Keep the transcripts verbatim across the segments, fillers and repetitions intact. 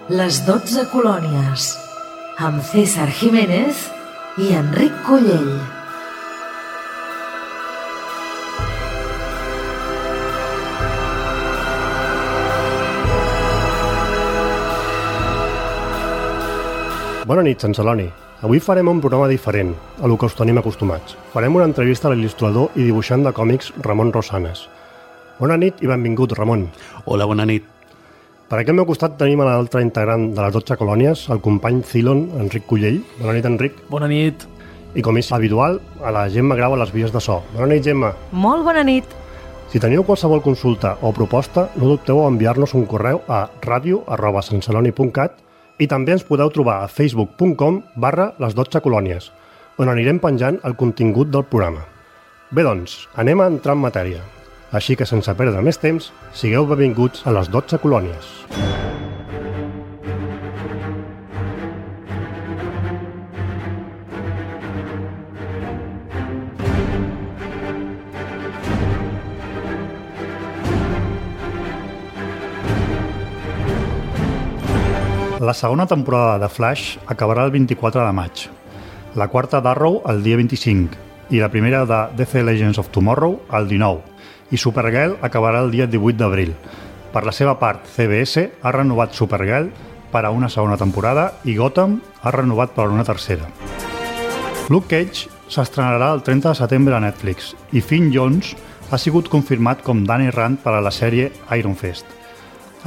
Les dotze colònies, amb César Jiménez i Enric Collell. Bona nit, Sant Celoni. Avui farem un programa diferent a lo que us tenim acostumats. Farem una entrevista a l'il·lustrador i dibuixant de còmics Ramon Rosanes. Bona nit i benvingut, Ramon. Hola, bona nit. Per aquí al meu costat tenim a l'altre integrant de les dotze colònies, el company Cylon, Enric Collell. Bona nit, Enric. Bona nit. I com és habitual, a la Gemma Grau a les vies de so. Bona nit, Gemma. Molt bona nit. Si teniu qualsevol consulta o proposta, no dubteu a enviar-nos un correu a radio arroba santceloni punt cat i també ens podeu trobar a facebook punt com barra les dotze colònies, on anirem penjant el contingut del programa. Bé, doncs, anem a entrar en matèria. Així que, sense perdre més temps, sigueu benvinguts a les dotze colònies. La segona temporada de Flash acabarà el vint-i-quatre de maig, la quarta d'Arrow el dia vint-i-cinc i la primera de D C Legends of Tomorrow el dinou, i Supergirl acabarà el dia divuit d'abril. Per la seva part, C B S ha renovat Supergirl per a una segona temporada i Gotham ha renovat per a una tercera. Luke Cage s'estrenarà el trenta de setembre a Netflix i Finn Jones ha sigut confirmat com Danny Rand per a la sèrie Iron Fist.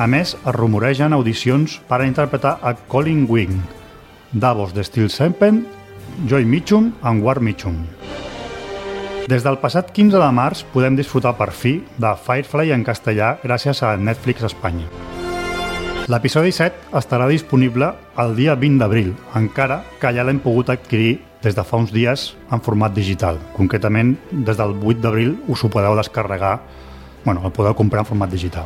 A més, es rumoregen audicions per a interpretar a Colin Wing, Davos de Steel Serpent, Joy Mitchum amb Ward Mitchum. Des del passat quinze de març podem disfrutar per fi de Firefly en castellà gràcies a Netflix Espanya. L'episodi set estarà disponible el dia vint d'abril, encara que ja l'hem pogut adquirir des de fa uns dies en format digital. Concretament, des del vuit d'abril us ho podeu descarregar, bueno, el podeu comprar en format digital.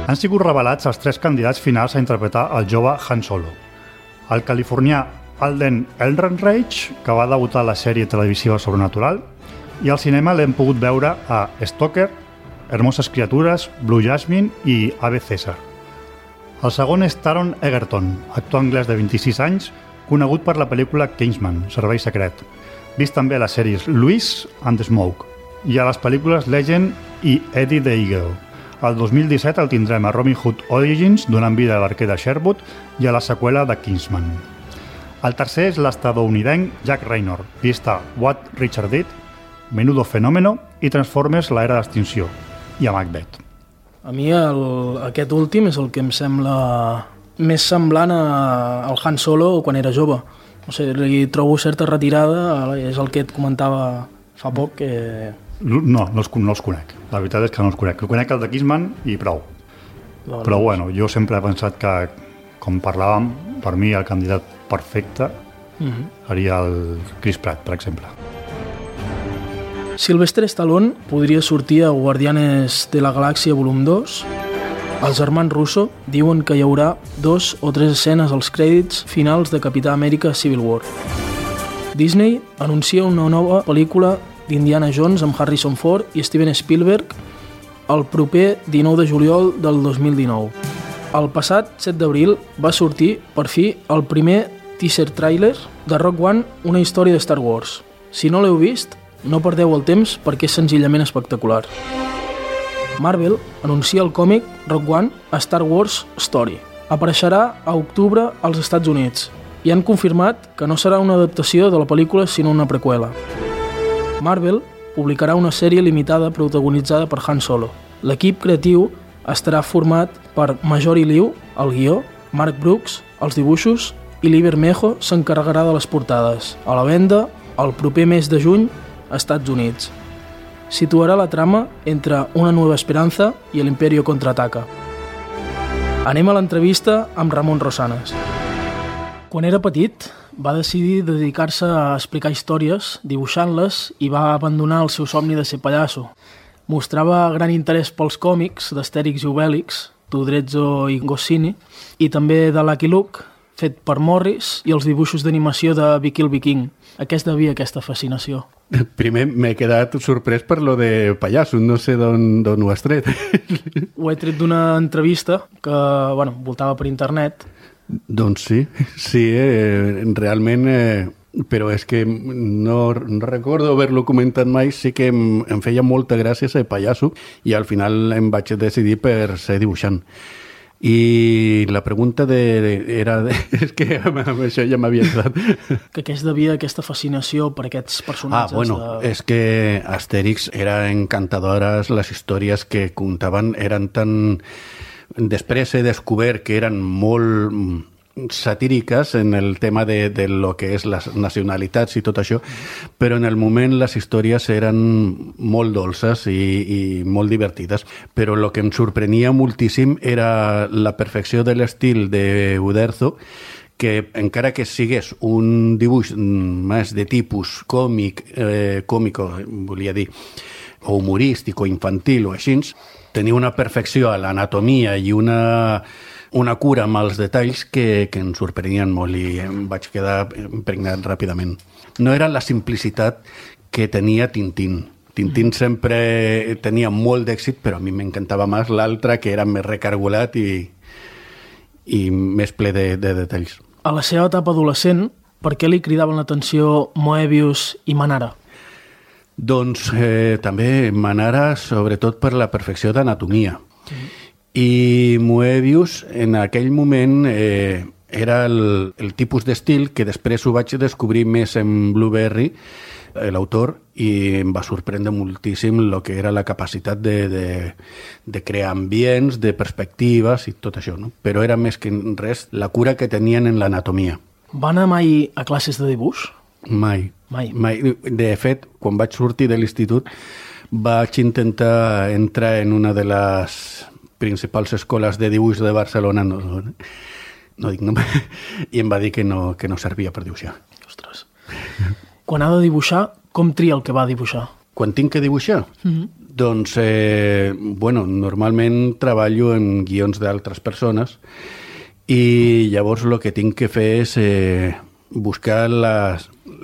Han sigut revelats els tres candidats finals a interpretar el jove Han Solo. El californià Alden Ehrenreich, que va debutar a la sèrie televisiva Sobrenatural, i al cinema l'hem pogut veure a Stalker, Hermoses criatures, Blue Jasmine i Ave César. El segon és Taron Egerton, actor anglès de vint-i-sis anys, conegut per la pel·lícula Kingsman, Servei secret, vist també a les sèries Louis and the Smoke i a les pel·lícules Legend i Eddie the Eagle. El dos mil disset el tindrem a Robin Hood Origins, donant vida a l'arquer de Sherwood i a la seqüela de Kingsman. El tercer és l'estadounidenc Jack Raynor, vist a What Richard Did, Menudo Fenómeno i Transformers l'era d'extinció, i a Macbeth. A mi el, aquest últim és el que em sembla més semblant a, al Han Solo quan era jove. O sigui, li trobo certa retirada, és el que et comentava fa poc, que... No, no els, no els conec. La veritat és que no els conec. El conec el de Kingsman i prou. No, Però bueno, jo sempre he pensat que, com parlàvem, per mi el candidat perfecte uh-huh. seria el Chris Pratt, per exemple. Sylvester Stallone podria sortir a Guardianes de la Galàxia volum dos. Els germans Russo diuen que hi haurà dos o tres escenes als crèdits finals de Capità Amèrica Civil War. Disney anuncia una nova pel·lícula d'Indiana Jones amb Harrison Ford i Steven Spielberg el proper dinou de juliol del dos mil dinou. El passat set d'abril va sortir, per fi, el primer teaser trailer de Rogue One, una història de Star Wars. Si no l'heu vist, no perdeu el temps perquè és senzillament espectacular. Marvel anuncia el còmic Rogue One a Star Wars Story. Apareixerà a octubre als Estats Units i han confirmat que no serà una adaptació de la pel·lícula sinó una preqüela. Marvel publicarà una sèrie limitada protagonitzada per Han Solo. L'equip creatiu estarà format per Majori Liu, el guió, Mark Brooks, els dibuixos, i Lee Bermejo s'encarregarà de les portades. A la venda, el proper mes de juny, a Estats Units. Situarà la trama entre Una nueva esperanza i l'Imperio contraataca. Anem a l'entrevista amb Ramon Rosanes. Quan era petit, va decidir dedicar-se a explicar històries, dibuixant-les, i va abandonar el seu somni de ser pallasso. Mostrava gran interès pels còmics d'Astèrix i Obèlix, Tudrezzo i Goscinny, i també de Lucky Luke, fet per Morris, i els dibuixos d'animació de Vicky el Viking. A què es devia aquesta fascinació? Primer m'he quedat sorprès per lo de pallasso, no sé d'on ho has tret. Ho he tret d'una entrevista que, bueno, voltava per internet. Doncs sí, sí, eh, realment, eh, però és que no, no recordo haver-lo comentat mai, sí que em, em feia molta gràcia ser pallasso i al final em vaig decidir per ser dibuixant. I la pregunta de, era... De, és que amb això ja m'havia entrat. Que què es devia aquesta fascinació per aquests personatges? Ah, bueno, de... és que Astèrix era encantadores, les històries que contaven eren tan... Després he descobert que eren molt satíriques en el tema de, de lo que és les nacionalitats i tot això, però en el moment les històries eren molt dolces i, i molt divertides, però el que em sorprenia moltíssim era la perfecció de l'estil de Uderzo, que encara que sigués un dibuix més de tipus còmic, eh, còmico, volia dir, o humorístic o infantil o així, tenia una perfecció a l'anatomia i una... una cura amb els detalls que, que ens sorprenien molt i em vaig quedar impregnat ràpidament. No era la simplicitat que tenia Tintín. Tintín sempre tenia molt d'èxit, però a mi m'encantava més l'altre, que era més recargolat i, i més ple de, de detalls. A la seva etapa adolescent, per què li cridaven l'atenció Moebius i Manara? Doncs eh, també Manara, sobretot per la perfecció d'anatomia. Mm. I Moebius, en aquell moment, eh, era el, el tipus d'estil que després ho vaig descobrir més en Blueberry, l'autor, i em va sorprendre moltíssim el que era la capacitat de, de, de crear ambients, de perspectives i tot això, no? Però era més que res la cura que tenien en l'anatomia. Va anar mai a classes de dibuix? Mai. Mai. Mai. De fet, quan vaig sortir de l'institut, vaig intentar entrar en una de les principals escoles de dibuix de Barcelona, no, no dic nom, i em va dir que no, que no servia per dibuixar. Ostres. Quan ha de dibuixar, com tria el que va dibuixar? Quan tinc que dibuixar? Mm-hmm. Doncs, eh, bueno, normalment treballo en guions d'altres persones i llavors el que tinc que fer és eh, buscar la,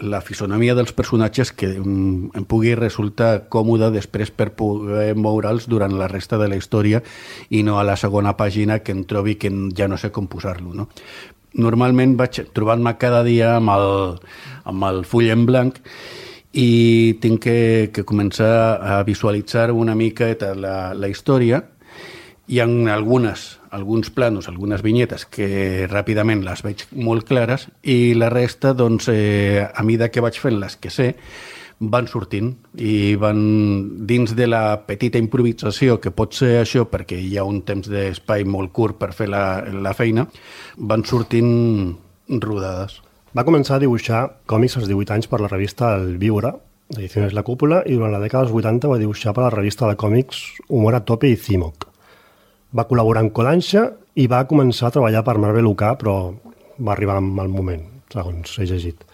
la fisonomia dels personatges que em, em pugui resultar còmoda després per poder moure'ls durant la resta de la història i no a la segona pàgina que em trobi que ja no sé com posar-lo, no? Normalment vaig trobant-me cada dia amb el, amb el full en blanc i tinc que, que començar a visualitzar una mica la, la història. Hi ha algunes, alguns planos, algunes vinyetes que ràpidament les veig molt clares i la resta, doncs, eh, a mida que vaig fent les que sé, van sortint i van dins de la petita improvisació que pot ser això perquè hi ha un temps d'espai molt curt per fer la, la feina, van sortint rodades. Va començar a dibuixar còmics als divuit anys per la revista El Viure, d'Ediciones La Cúpula, i durant la dècada dels vuitanta va dibuixar per la revista de còmics Humor a Tope i Cimoc. Va col·laborar amb Kodansha i va començar a treballar per Marvel U K, però va arribar en mal moment, segons he llegit.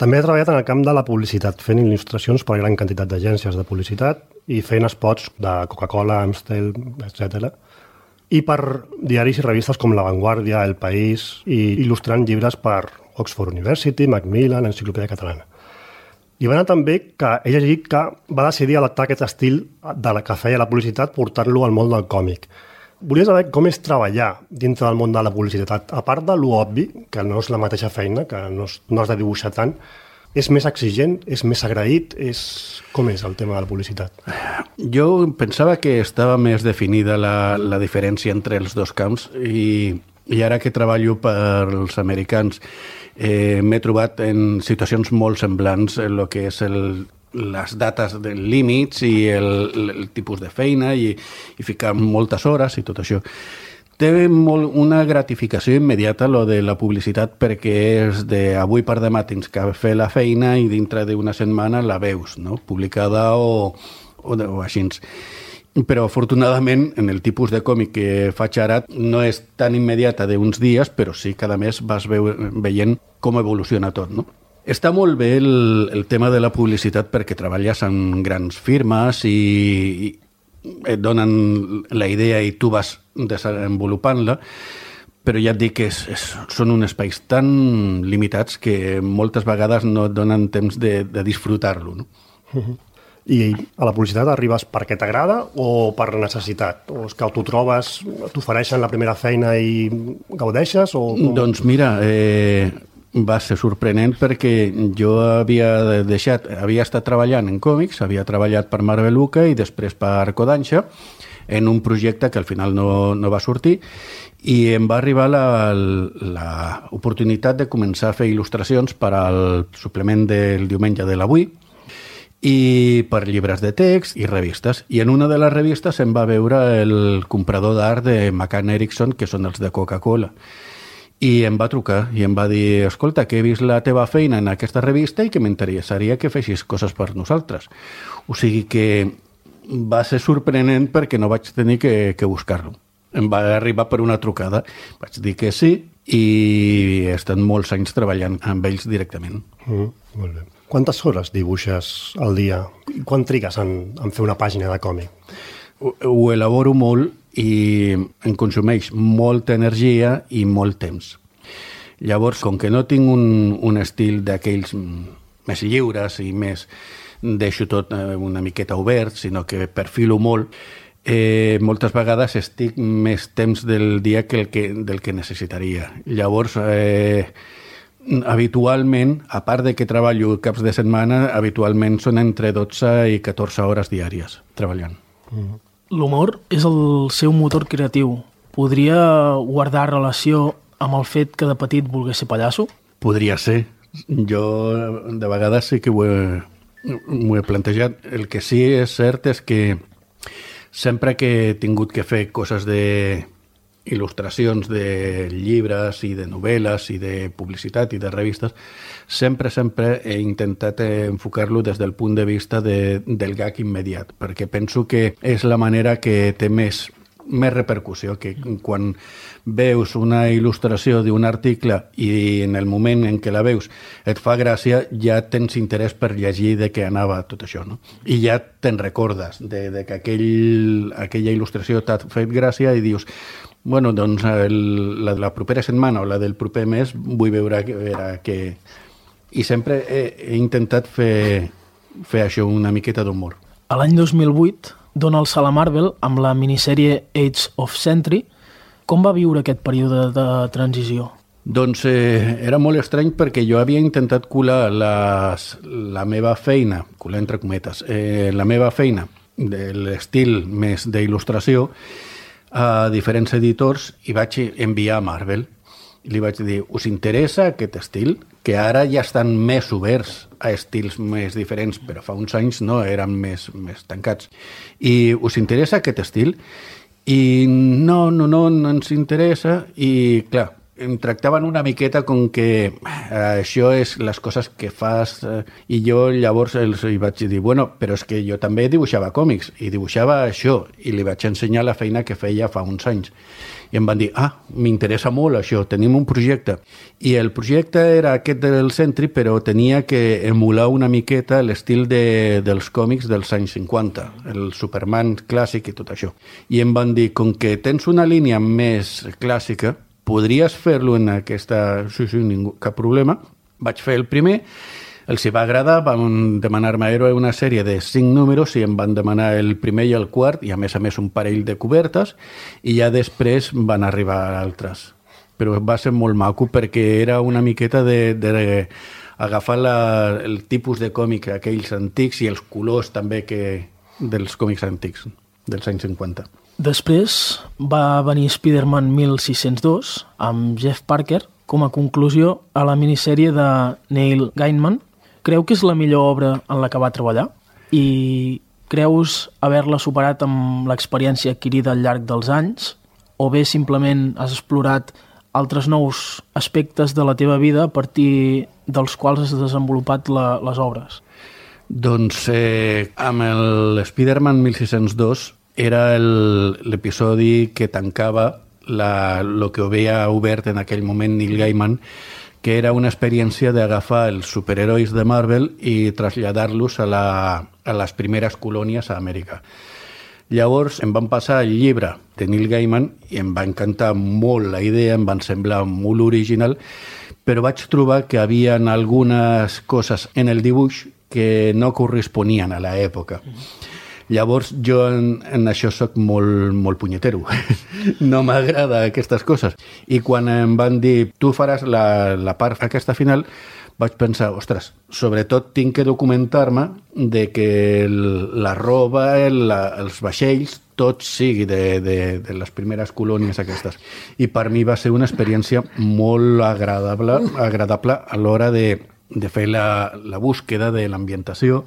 També ha treballat en el camp de la publicitat, fent il·lustracions per a gran quantitat d'agències de publicitat i fent spots de Coca-Cola, Amstel, etcètera. I per diaris i revistes com La Vanguardia, El País, i il·lustrant llibres per Oxford University, Macmillan, Enciclopèdia Catalana. I va anar també que ell ha llegit que va decidir adaptar aquest estil de la que feia la publicitat, portar-lo al món del còmic. Volia saber com és treballar dintre del món de la publicitat. A part de lo obvi, que no és la mateixa feina, que no, és, no has de dibuixar tant, és més exigent, és més agraït, és... com és el tema de la publicitat? Jo pensava que estava més definida la, la diferència entre els dos camps i, i ara que treballo per als americans eh, m'he trobat en situacions molt semblants en el que és el les dates de límits i el, el tipus de feina i, i ficar moltes hores i tot això. Té molt, una gratificació immediata lo de la publicitat perquè és de avui per demà tens que fer la feina i dintre d'una setmana la veus, no? Publicada o, o, o així. Però afortunadament en el tipus de còmic que faig ara no és tan immediata d'uns dies, però sí cada mes vas veu, veient com evoluciona tot, no? Està molt bé el, el tema de la publicitat perquè treballes amb grans firmes i, i et donen la idea i tu vas desenvolupant-la, però ja et dic que és, és, són uns espais tan limitats que moltes vegades no et donen temps de, de disfrutar-lo, no? Uh-huh. I a la publicitat arribes perquè t'agrada o per necessitat? O és que t'ho trobes, t'ofereixen la primera feina i gaudeixes? O com... Doncs mira, eh, va ser sorprenent perquè jo havia deixat, havia estat treballant en còmics, havia treballat per Marvel U K i després per Kodansha, en un projecte que al final no, no va sortir, i em va arribar l'oportunitat de començar a fer il·lustracions per al suplement del diumenge de l'Avui i per llibres de text i revistes. I en una de les revistes em va veure el comprador d'art de McCann Erickson, que són els de Coca-Cola. I em va trucar i em va dir, escolta, que he vist la teva feina en aquesta revista i que m'interessaria que feixis coses per nosaltres. O sigui que va ser sorprenent perquè no vaig tenir que, que buscar-lo. Em va arribar per una trucada. Vaig dir que sí i he estat molts anys treballant amb ells directament. Mm, molt bé. Quantes hores dibuixes al dia? Quan trigues en, en fer una pàgina de còmic? Ho, ho elaboro molt i em consumeix molta energia i molt temps. Llavors, com que no tinc un, un estil d'aquells més lliures i més... deixo tot una miqueta obert, sinó que perfilo molt, eh, moltes vegades estic més temps del dia que el que, del que necessitaria. Llavors, eh, habitualment, a part de que treballo caps de setmana, habitualment són entre dotze i catorze hores diàries treballant. Mm. L'humor és el seu motor creatiu. Podria guardar relació amb el fet que de petit volgués ser pallasso? Podria ser. Jo de vegades sí que ho he, m'ho he plantejat. El que sí és cert és que sempre que he tingut que fer coses de il·lustracions de llibres i de novel·les i de publicitat i de revistes, sempre, sempre he intentat enfocar-lo des del punt de vista de, del gag immediat, perquè penso que és la manera que té més, més repercussió, que quan veus una il·lustració d'un article i en el moment en què la veus et fa gràcia, ja tens interès per llegir de què anava tot això, no? I ja te'n recordes de, de que aquell, aquella il·lustració t'ha fet gràcia i dius, bueno, doncs el, la, la propera setmana o la del proper mes vull veure, veure què... I sempre he, he intentat fer, fer això, una miqueta d'humor. A l'any dos mil vuit dona el salt a Marvel amb la minissèrie Age of Sentry. Com va viure aquest període de transició? Doncs eh, era molt estrany perquè jo havia intentat colar les, la meva feina, colar entre cometes, eh, la meva feina de l'estil més d'il·lustració a diferents editors i vaig enviar a Marvel. I li vaig dir, us interessa aquest estil? Que ara ja estan més oberts a estils més diferents, però fa uns anys no, eren més, més tancats. I us interessa aquest estil? I no, no, no, no ens interessa. I clar, em tractaven una miqueta com que eh, això és les coses que fas, eh, i jo llavors els hi vaig dir, bueno, però és que jo també dibuixava còmics i dibuixava això, i li vaig ensenyar la feina que feia fa uns anys. I em van dir, ah, m'interessa molt això, tenim un projecte. I el projecte era aquest del Sentry, però tenia que emular una miqueta l'estil de, dels còmics dels anys cinquanta, el Superman clàssic i tot això. I em van dir, com que tens una línia més clàssica, podries fer-lo en aquesta... Sí, sí, ningú, cap problema. Vaig fer el primer, els hi va agradar, van demanar-me una sèrie de cinc números i em van demanar el primer i el quart, i a més a més un parell de cobertes, i ja després van arribar altres. Però va ser molt maco perquè era una miqueta de, de agafar la, el tipus de còmic aquells antics i els colors també que, dels còmics antics, dels anys cinquanta. Després va venir Spider-Man mil sis-cents dos amb Jeff Parker com a conclusió a la minissèrie de Neil Gaiman. Creu que és la millor obra en la que va treballar? I creus haver-la superat amb l'experiència adquirida al llarg dels anys? O bé simplement has explorat altres nous aspectes de la teva vida a partir dels quals has desenvolupat la, les obres? Doncs eh, amb el Spider-Man mil sis-cents dos era l'episodi que tancava la, lo que havia obert en aquell moment Neil Gaiman, que era una experiència d'agafar els superherois de Marvel i traslladar-los a, la, a les primeres colònies a Amèrica. Llavors em van passar el llibre de Neil Gaiman i em va encantar molt la idea, em van semblar molt original, però vaig trobar que havia algunes coses en el dibuix que no corresponien a l'època. Llavors jo en, en això sóc molt, molt punyetero. No m'agrada aquestes coses. I quan em van dir, tu faràs la, la part aquesta final, vaig pensar, ostres, sobretot tinc que documentar-me de que el, la roba, el, la, els vaixells, tot sigui de, de, de les primeres colònies aquestes. I per mi va ser una experiència molt agradable, agradable a l'hora de, de fer la, la búsqueda de l'ambientació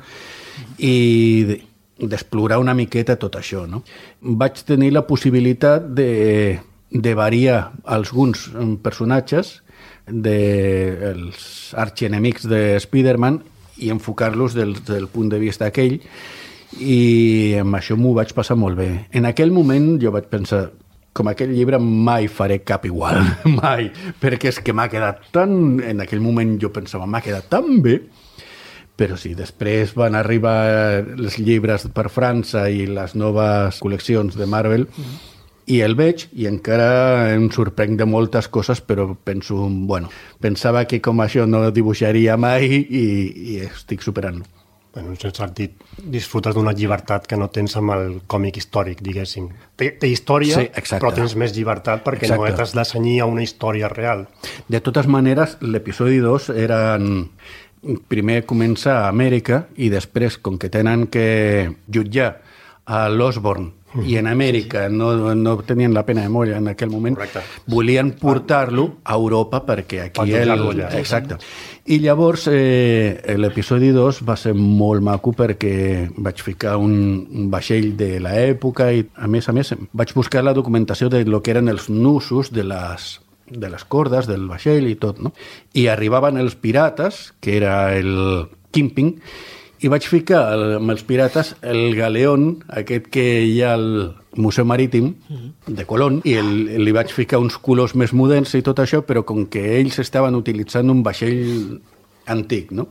i de, d'explorar una miqueta tot això, no? Vaig tenir la possibilitat de, de variar alguns personatges dels arxienemics de Spider-Man i enfocar-los del, del punt de vista aquell, i amb això m'ho vaig passar molt bé. En aquell moment jo vaig pensar, com aquell llibre mai faré cap igual, mai, perquè és que m'ha quedat tan... En aquell moment jo pensava, m'ha quedat tan bé, però sí, després van arribar els llibres per França i les noves col·leccions de Marvel, mm. i el veig i encara em sorprenc de moltes coses, però penso, bueno, pensava que com això no dibuixaria mai i, i estic superant-lo. Bueno, en aquest sentit, disfrutes d'una llibertat que no tens amb el còmic històric, diguéssim. Té, té història, sí, però tens més llibertat perquè exacte. No t'has de cenyir a una història real. De totes maneres, l'episodi dos era... Primer comença a Amèrica i després, com que tenen que jutjar a l'Osborn i en Amèrica no, no tenien la pena de molla en aquell moment, correcte. Volien portar-lo a Europa perquè aquí... El... Exacte. I llavors eh, l'episodi dos va ser molt maco perquè vaig ficar un, un vaixell de l'època i, a més a més, vaig buscar la documentació de lo que eren els nusos de les... de les cordes del vaixell i tot, no? I arribaven els pirates, que era el Kingpin, i vaig ficar el, amb els pirates el galeón, aquest que hi ha al Museu Marítim de Colón, i el, li vaig ficar uns colors més moderns i tot això, però com que ells estaven utilitzant un vaixell antic, no?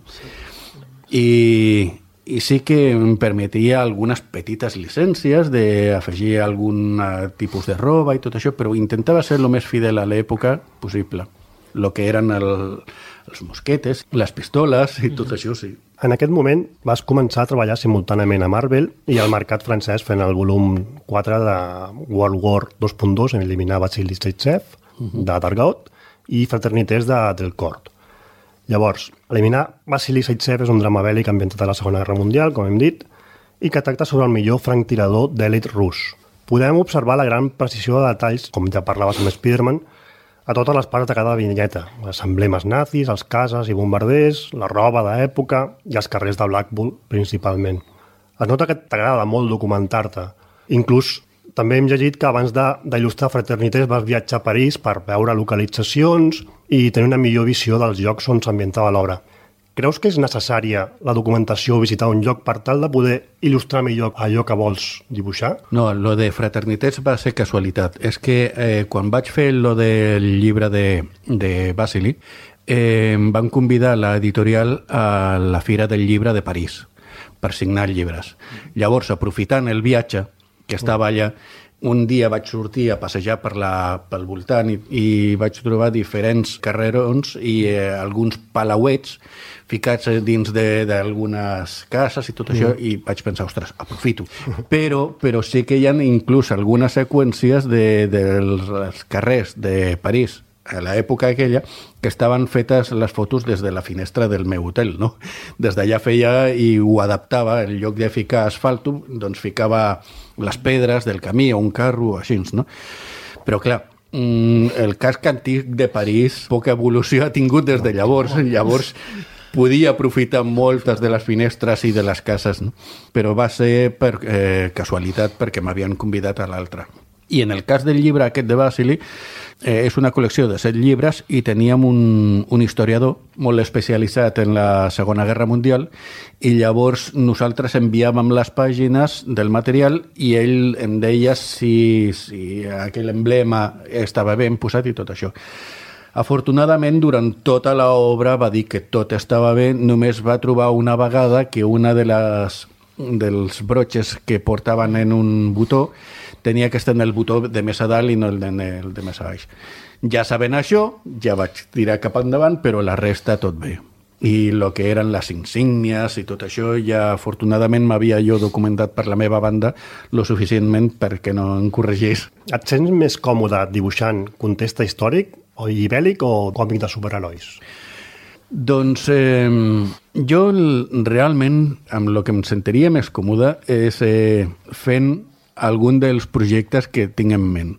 I... I sí que em permetia algunes petites llicències d'afegir algun tipus de roba i tot això, però intentava ser el més fidel a l'època possible. El que eren el, els mosquetes, les pistoles i tot això, sí. En aquest moment vas començar a treballar simultàniament a Marvel i al mercat francès fent el volum quatre de World War dos punt dos, en eliminar Vasily Zaitsev, uh-huh. de Dargaud, i Fraternités de Delcourt. Llavors, eliminar Vasily Zaitsev és un drama bèl·lic ambientat a la Segona Guerra Mundial, com hem dit, i que tracta sobre el millor franctirador d'èlit rus. Podem observar la gran precisió de detalls, com ja parlaves amb Spider-Man, a totes les parts de cada vinyeta, els emblemes nazis, els cases i bombarders, la roba d'època i els carrers de Blackpool, principalment. Es nota que t'agrada molt documentar-te. Inclús també hem llegit que abans d'il·lustrar Fraternités vas viatjar a París per veure localitzacions i tenir una millor visió dels llocs on s'ambientava l'obra. Creus que és necessària la documentació o visitar un lloc per tal de poder il·lustrar millor allò que vols dibuixar? No, lo de Fraternités va ser casualitat. És que eh, quan vaig fer lo del llibre de, de Vasily, eh, em van convidar a l'editorial a la Fira del Llibre de París per signar llibres. Llavors, aprofitant el viatge que estava allà, un dia vaig sortir a passejar per la, pel voltant i, i vaig trobar diferents carrerons i eh, alguns palauets ficats dins d'algunes cases i tot això, mm. i vaig pensar, ostres, aprofito. Però, però sí que hi ha inclús algunes seqüències de, dels carrers de París a l'època aquella, que estaven fetes les fotos des de la finestra del meu hotel, no? Des d'allà feia i ho adaptava, en lloc de ficar asfalto, doncs ficava les pedres del camí o un carro, així, no? Però, clar, el casc antic de París poca evolució ha tingut des de llavors. Llavors, podia aprofitar moltes de les finestres i de les cases, no? Però va ser per eh, casualitat perquè m'havien convidat a l'altre. I en el cas del llibre aquest de Vasily, eh, és una col·lecció de set llibres i teníem un, un historiador molt especialitzat en la Segona Guerra Mundial i llavors nosaltres enviàvem les pàgines del material i ell em deia si, si aquell emblema estava ben posat i tot això. Afortunadament, durant tota l'obra va dir que tot estava bé, només va trobar una vegada que una de les dels broches que portaven en un botó tenia que estar en el botó de més a dalt i no en el de més a baix. Ja sabent això, ja vaig tirar cap endavant, però la resta tot bé. I el que eren les insígnies i tot això, ja afortunadament m'havia jo documentat per la meva banda lo suficientment perquè no em corregís. Et sents més còmode dibuixant context històric o ibèlic o còmic de superherois? Doncs eh, jo realment amb el que em sentiria més còmode és eh, fent algun dels projectes que tinc en ment.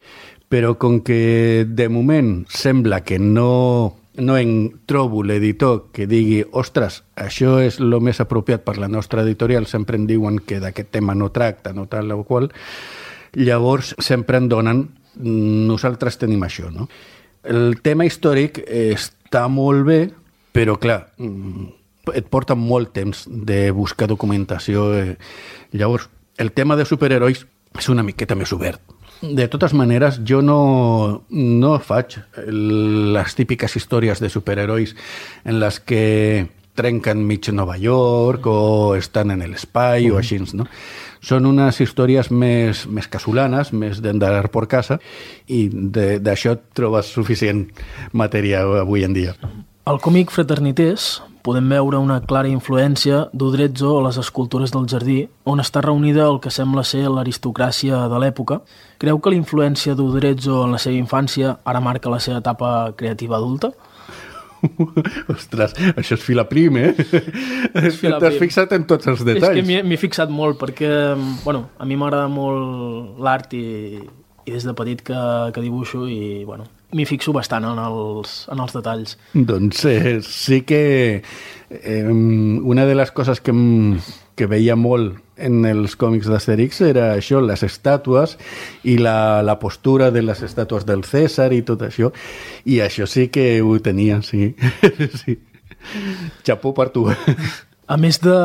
Però com que de moment sembla que no, no en trobo l'editor que digui ostres, això és el més apropiat per la nostra editorial, sempre em diuen que d'aquest tema no tracta, no tal o qual, llavors sempre em donen nosaltres tenim això, no? El tema històric està molt bé, però clar, et porta molt temps de buscar documentació. Llavors, el tema de superherois és una miqueta més obert. De totes maneres, jo no, no faig les típiques històries de superherois en les que trenquen mig Nova York o estan en l'espai mm. o així, no? Són unes històries més, més casolanes, més d'endarar per casa, i d'això trobes suficient matèria avui en dia. Al còmic Fraternités podem veure una clara influència d'Uderzo a les escultures del jardí, on està reunida el que sembla ser l'aristocràcia de l'època. Creu que la influència d'Uderzo en la seva infància ara marca la seva etapa creativa adulta? Ostres, això és filaprim, eh? T'has fixat en tots els detalls. És que m'hi he fixat molt perquè, bueno, a mi m'agrada molt l'art i, i des de petit que, que dibuixo i, bueno, m'hi fixo bastant en els, en els detalls. Doncs eh, sí que eh, una de les coses que, que veia molt en els còmics d'Astèrix era això, les estàtues i la, la postura de les estàtues del Cèsar i tot això, i això sí que ho tenia, sí. sí. Xapó per tu. A més de,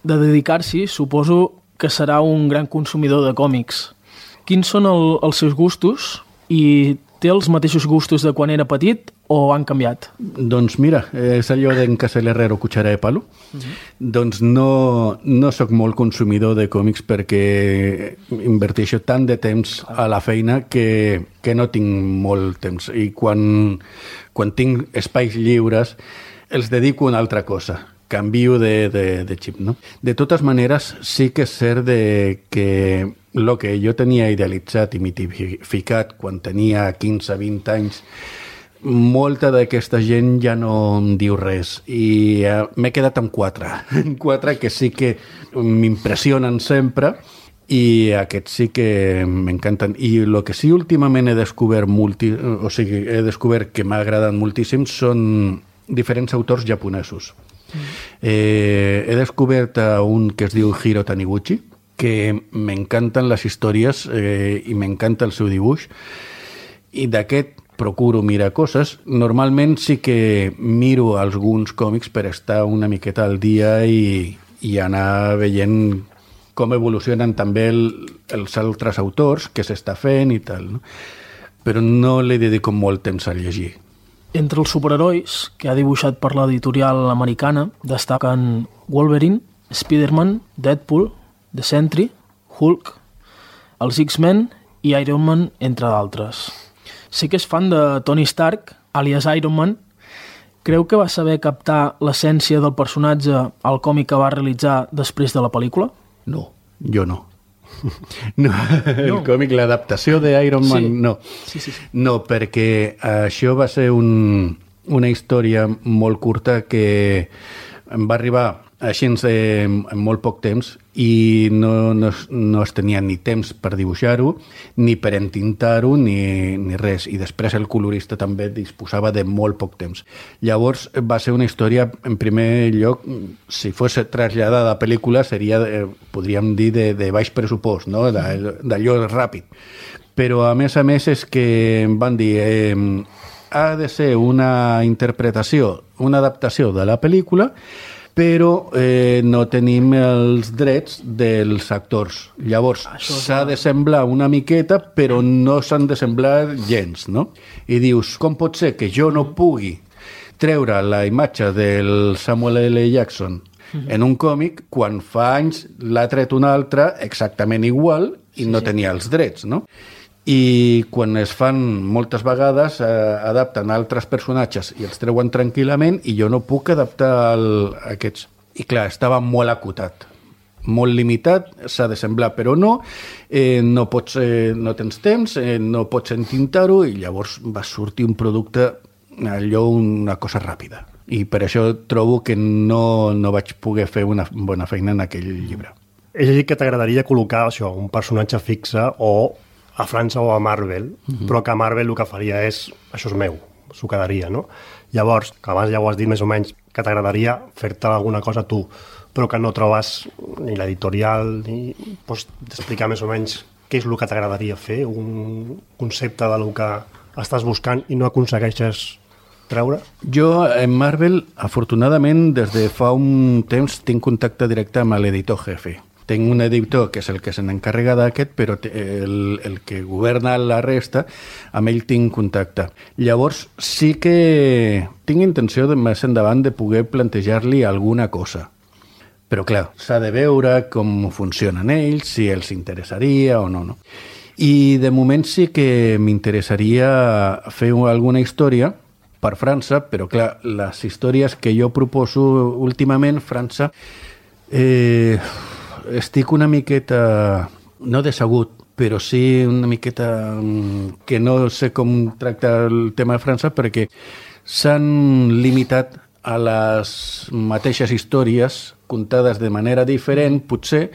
de dedicar-s'hi, suposo que serà un gran consumidor de còmics. Quins són el, els seus gustos i té els mateixos gustos de quan era petit o han canviat? Doncs mira, és allò d'en casa l'herrero cuchara de palo. Uh-huh. Doncs no, no sóc molt consumidor de còmics perquè inverteixo tant de temps a la feina que, que no tinc molt temps. I quan, quan tinc espais lliures els dedico a una altra cosa. Canvio de, de, de xip, no? De totes maneres, sí que és cert de que el que jo tenia idealitzat i mitificat quan tenia quinze a vint anys, molta d'aquesta gent ja no em diu res i uh, m'he quedat amb quatre. Quatre que sí que m'impressionen sempre i aquests sí que m'encanten. I el que sí últimament he descobert, multi, o sigui, he descobert que m'ha agradat moltíssim són diferents autors japonesos. Mm. Eh, he descobert un que es diu Hiro Taniguchi, que m'encanten les històries eh, i m'encanta el seu dibuix, i d'aquest procuro mirar coses. Normalment sí que miro alguns còmics per estar una miqueta al dia i, i anar veient com evolucionen també el, els altres autors, què s'està fent i tal, no? Però no li dedico molt temps a llegir. Entre els superherois que ha dibuixat per l'editorial americana destaquen Wolverine, Spider-Man, Deadpool, The Sentry, Hulk, els X-Men i Iron Man, entre d'altres. Sé que és fan de Tony Stark, àlies Iron Man. Creu que va saber captar l'essència del personatge al còmic que va realitzar després de la pel·lícula? No, jo no. No, el no. còmic, l'adaptació d'Iron Man, sí. no. Sí, sí, sí. No, perquè això va ser un, una història molt curta que em va arribar així en molt poc temps i no, no, no es tenia ni temps per dibuixar-ho, ni per entintar-ho, ni, ni res. I després el colorista també disposava de molt poc temps. Llavors va ser una història, en primer lloc, si fos traslladada a pel·lícula, seria, eh, podríem dir, de, de baix pressupost, no? D'allò ràpid. Però a més a més és que em van dir eh, ha de ser una interpretació, una adaptació de la pel·lícula, però eh, no tenim els drets dels actors. Llavors, s'ha de semblar una miqueta, però no s'han de semblar gens, no? I dius, com pot ser que jo no pugui treure la imatge del Samuel L. Jackson mm-hmm. en un còmic quan fa anys l'ha tret un altre exactament igual i sí, no sí. tenia els drets, no? I quan es fan moltes vegades eh, adapten altres personatges i els treuen tranquil·lament i jo no puc adaptar el, aquests. I clar, estava molt acotat, molt limitat, s'ha de semblar però no, eh, no, pots, eh, no tens temps, eh, no pots entintar-ho i llavors va sortir un producte, allò una cosa ràpida. I per això trobo que no, no vaig poder fer una bona feina en aquell llibre. És a dir, que t'agradaria col·locar això, un personatge fixe o a França o a Marvel, mm-hmm. però que Marvel el que faria és, això és meu, s'ho quedaria, no? Llavors, que abans ja ho has dit més o menys, que t'agradaria fer-te alguna cosa tu, però que no trobes ni l'editorial, ni pots explicar més o menys què és el que t'agradaria fer, un concepte del que estàs buscant i no aconsegueixes treure? Jo, en Marvel, afortunadament, des de fa un temps tinc contacte directe amb l'editor jefe. Tinc un editor que és el que se n'encarrega d'aquest, però el, el que governa la resta, amb ell tinc contacte. Llavors, sí que tinc intenció de més endavant de poder plantejar-li alguna cosa. Però, clar, s'ha de veure com funcionen ells, si els interessaria o no, no? I, de moment, sí que m'interessaria fer alguna història per França, però clar, les històries que jo proposo últimament, França, eh, estic una miqueta, no decebut, però sí una miqueta que no sé com tractar el tema de França perquè s'han limitat a les mateixes històries contades de manera diferent, potser,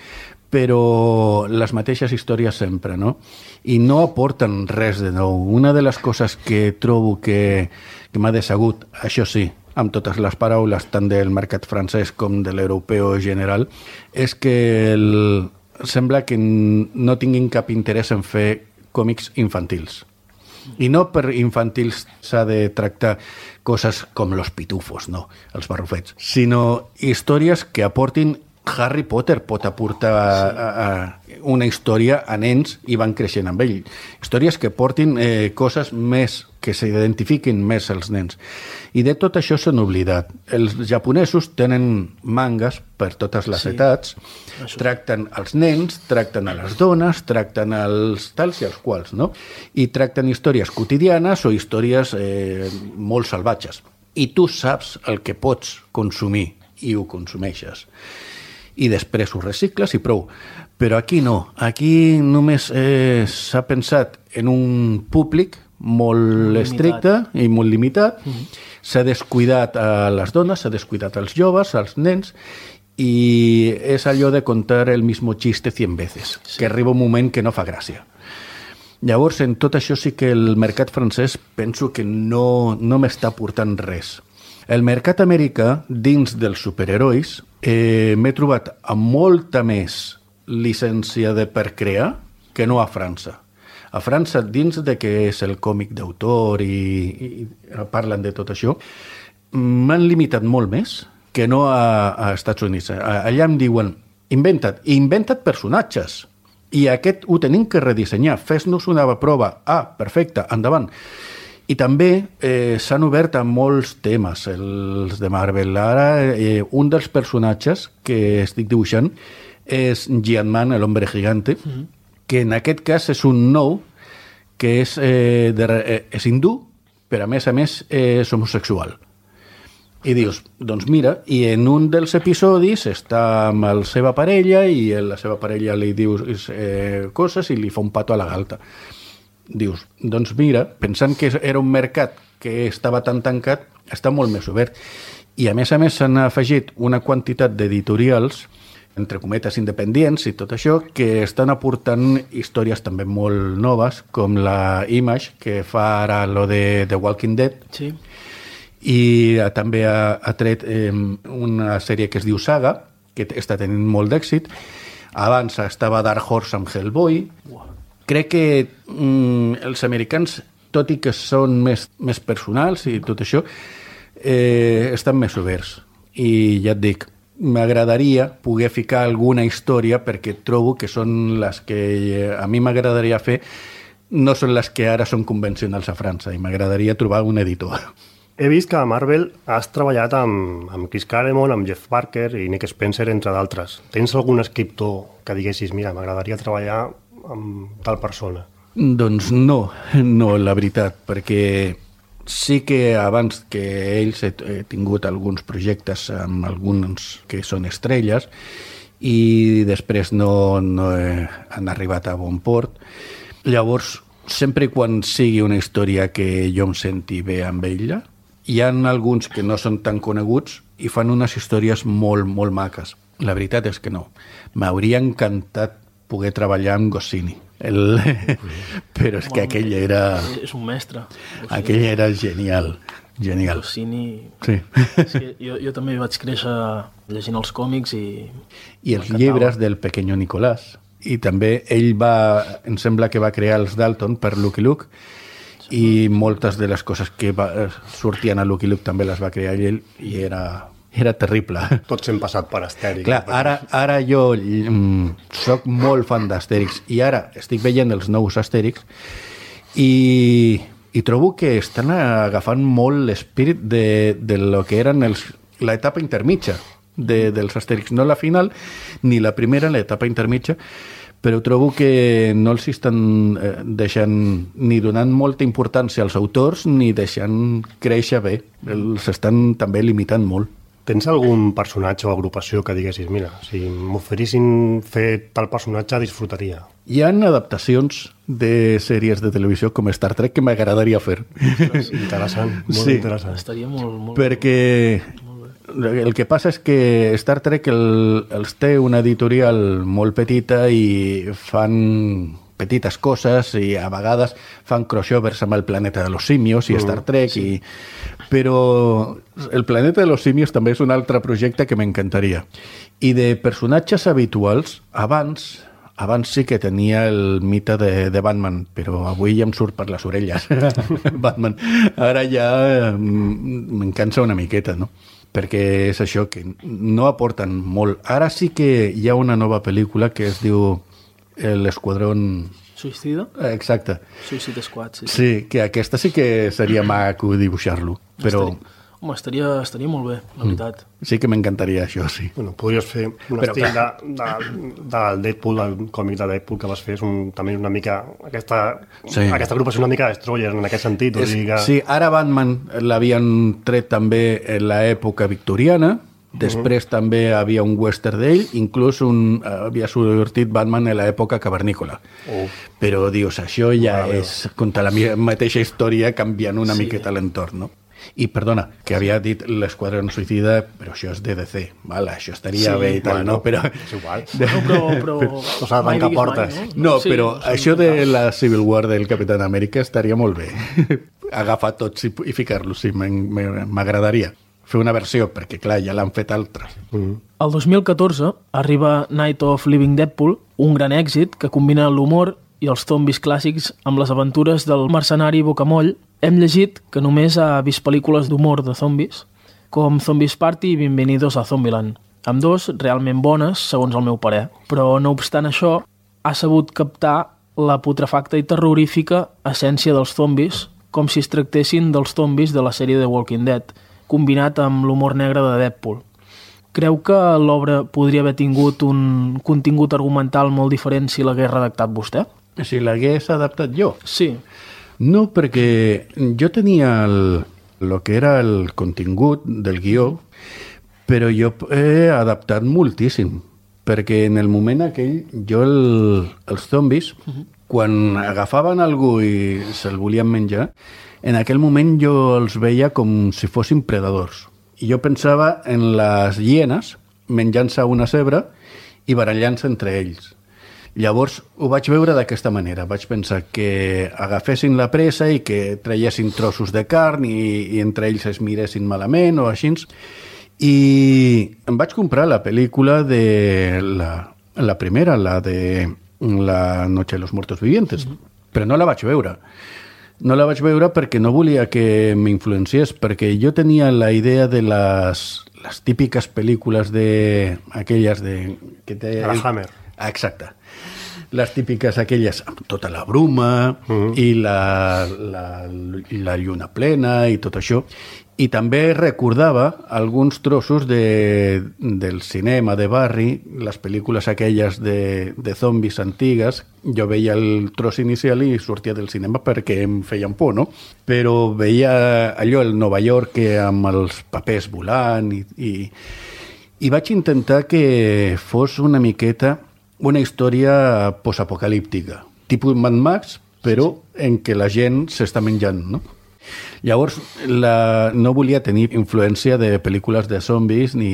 però les mateixes històries sempre, no? I no aporten res de nou. Una de les coses que trobo que, que m'ha decebut, això sí, amb totes les paraules, tant del mercat francès com de l'europeu general, és que el, sembla que no tinguin cap interès en fer còmics infantils. I no per infantils s'ha de tractar coses com los pitufos, no, els barrufets, sinó històries que aportin. Harry Potter pot aportar sí. a, a una història a nens i van creixent amb ell. Històries que portin eh, coses més, que s'identifiquin més els nens. I de tot això s'han oblidat. Els japonesos tenen mangas per totes les sí. etats, això. Tracten els nens, tracten a les dones, tracten els tals i els quals, no? I tracten històries quotidianes o històries eh, molt salvatges. I tu saps el que pots consumir i ho consumeixes. I després ho recicles i prou. Però aquí no. Aquí només eh, s'ha pensat en un públic molt limitat. Estricte i molt limitat. Mm-hmm. S'ha descuidat a les dones, s'ha descuidat als joves, als nens, i és allò de contar el mismo chiste cien veces, sí. que arriba un moment que no fa gràcia. Llavors, en tot això sí que el mercat francès penso que no, no m'està aportant res. El mercat americà, dins dels superherois, eh, m'he trobat amb molta més llicència de per crear que no a França. A França, dins de que és el còmic d'autor i, i parlen de tot això, m'han limitat molt més que no a, a Estats Units. Allà em diuen, inventa't, i inventa't personatges. I aquest ho tenim que redissenyar. Fes-nos una prova. Ah, perfecte, endavant. I també eh, s'han obert a molts temes, els de Marvel. Ara, eh, un dels personatges que estic dibuixant és Giant-Man, l'hombre gigante, mm-hmm. que en aquest cas és un nou, que és, eh, de, eh, és hindú, però a més a més és homosexual. I dius, doncs mira, i en un dels episodis està amb la seva parella i la seva parella li diu eh, coses i li fa un pato a la galta. Dius, doncs mira, pensant que era un mercat que estava tan tancat, està molt més obert. I a més a més s'han afegit una quantitat d'editorials, entre cometes independents i tot això, que estan aportant històries també molt noves, com la Image, que fa ara lo de The Walking Dead, sí. i també ha, ha tret eh, una sèrie que es diu Saga, que està tenint molt d'èxit. Abans estava Dark Horse amb Hellboy. Wow. Crec que mm, els americans, tot i que són més, més personals i tot això, eh, estan més oberts. I ja et dic, m'agradaria poder ficar alguna història perquè trobo que són les que a mi m'agradaria fer, no són les que ara són convencionals a França, i m'agradaria trobar un editor. He vist que a Marvel has treballat amb, amb Chris Claremont, amb Jeff Parker i Nick Spencer, entre d'altres. Tens algun escriptor que diguessis, mira, m'agradaria treballar amb tal persona? Doncs no, no, la veritat, perquè sí que abans que ells he, he tingut alguns projectes amb alguns que són estrelles i després no, no he, han arribat a bon port. Llavors, sempre quan sigui una història que jo em senti bé amb ella, hi ha alguns que no són tan coneguts i fan unes històries molt, molt maques. La veritat és que no. M'hauria encantat poder treballar amb Goscinny. El... Però és que aquell era... És un mestre. Aquell era genial. Genial. Goscinny... Sí. Sí, jo, jo també vaig créixer llegint els còmics i... I els llibres del Pequeño Nicolás. I també ell va... Em sembla que va crear els Dalton per Lucky Luke i moltes de les coses que va, sortien a Lucky Luke també les va crear ell i era, era terrible. Tots hem passat per Astèrix. Clar, ara, ara jo mm, soc molt fan d'Astèrix i ara estic veient els nous Astèrix i, i trobo que estan agafant molt l'espírit de, de lo que eren els, l'etapa intermitja de, dels Astèrix. No la final ni la primera, l'etapa intermitja, però trobo que no els estan eh, deixant ni donant molta importància als autors ni deixant créixer bé. Els estan també limitant molt. Tens algun personatge o agrupació que diguessis, mira, si m'oferissin fer tal personatge, disfrutaria? Hi ha adaptacions de sèries de televisió com Star Trek que m'agradaria fer. Interessant, molt sí, interessant. Estaria molt... molt perquè el que passa és que Star Trek el, els té una editorial molt petita i fan petites coses i a vegades fan crossovers amb el Planeta de los Simios i Star Trek, sí. i... però el Planeta de los Simios també és un altre projecte que m'encantaria. I de personatges habituals, abans... Abans sí que tenia el mite de, de Batman, però avui ja em surt per les orelles Batman. Ara ja me'n cansa una miqueta, no? Perquè és això, que no aporten molt. Ara sí que hi ha una nova pel·lícula que es diu l'Esquadrón... Suïcida? Exacte. Suïcide Squad, sí. Sí, que aquesta sí que seria maco dibuixar-lo, però... Estaria, home, estaria, estaria molt bé, la veritat. Mm. Sí que m'encantaria això, sí. Bueno, podries fer un però, estil de, de, del Deadpool, del còmic de Deadpool que vas fer, és un, també una mica... Aquesta, sí. Aquesta agrupació una mica Destroyer en aquest sentit. És, o sigui que... Sí, ara Batman l'havien tret també en l'època victoriana, després uh -huh. també hi havia un western d'ell, inclús un, havia sortit Batman en l'època cavernícola. Uh. Però, dius, això ja uh, és contra la mateixa història canviant una sí. miqueta l'entorn, no? I, perdona, que havia dit l'Esquadrón Suïcida, però això és D D C, val? Això estaria sí, bé i tal, bueno, no? Però... És igual. No, però... però... No s'ha de tancar portes. Mai, no, no sí, però no, això de la Civil War del Capitán Amèrica estaria molt bé. Agafar tots i, i ficar-los, sí, m'agradaria. Fer una versió, perquè, clar, ja l'han fet altres. Mm. El dos mil catorze arriba Night of Living Deadpool, un gran èxit que combina l'humor i els zombis clàssics amb les aventures del mercenari Bocamoll. Hem llegit que només ha vist pel·lícules d'humor de zombis, com Zombies Party i Bienvenidos a Zombieland. Amb dos realment bones, segons el meu parer. Però, no obstant això, ha sabut captar la putrefacta i terrorífica essència dels zombis, com si es tractessin dels zombis de la sèrie The Walking Dead, combinat amb l'humor negre de Deadpool. Creu que l'obra podria haver tingut un contingut argumental molt diferent si l'hagués redactat vostè? Si l'hagués adaptat jo? Sí. No, perquè jo tenia el, el que era el contingut del guió, però jo he adaptat moltíssim, perquè en el moment aquell jo el, els zombis, uh-huh. quan agafaven algú i se'l volien menjar, en aquell moment jo els veia com si fossin predadors. I jo pensava en les hienes menjant-se una cebra i barallant-se entre ells. Llavors ho vaig veure d'aquesta manera. Vaig pensar que agafessin la presa i que traiessin trossos de carn i, i entre ells es miressin malament o així. I em vaig comprar la pel·lícula de la, la primera, la de La noche de los muertos vivientes, però no la vaig veure. No la vaig veure perquè no volia que m'influenciés, perquè jo tenia la idea de les, les típiques pel·lícules de aquelles de... Que té la Hammer. Exacte. Les típiques aquelles amb tota la bruma uh-huh. i la, la, la lluna plena i tot això. I també recordava alguns trossos de, del cinema de barri, les pel·lícules aquelles de, de zombis antigues. Jo veia el tros inicial i sortia del cinema perquè em feien por, no? Però veia allò, el Nova York, amb els papers volant i, i, i vaig intentar que fos una miqueta una història postapocalíptica, tipus Mad Max, però en què la gent s'està menjant, no? Llavors, la, no volia tenir influència de pel·lícules de zombis ni,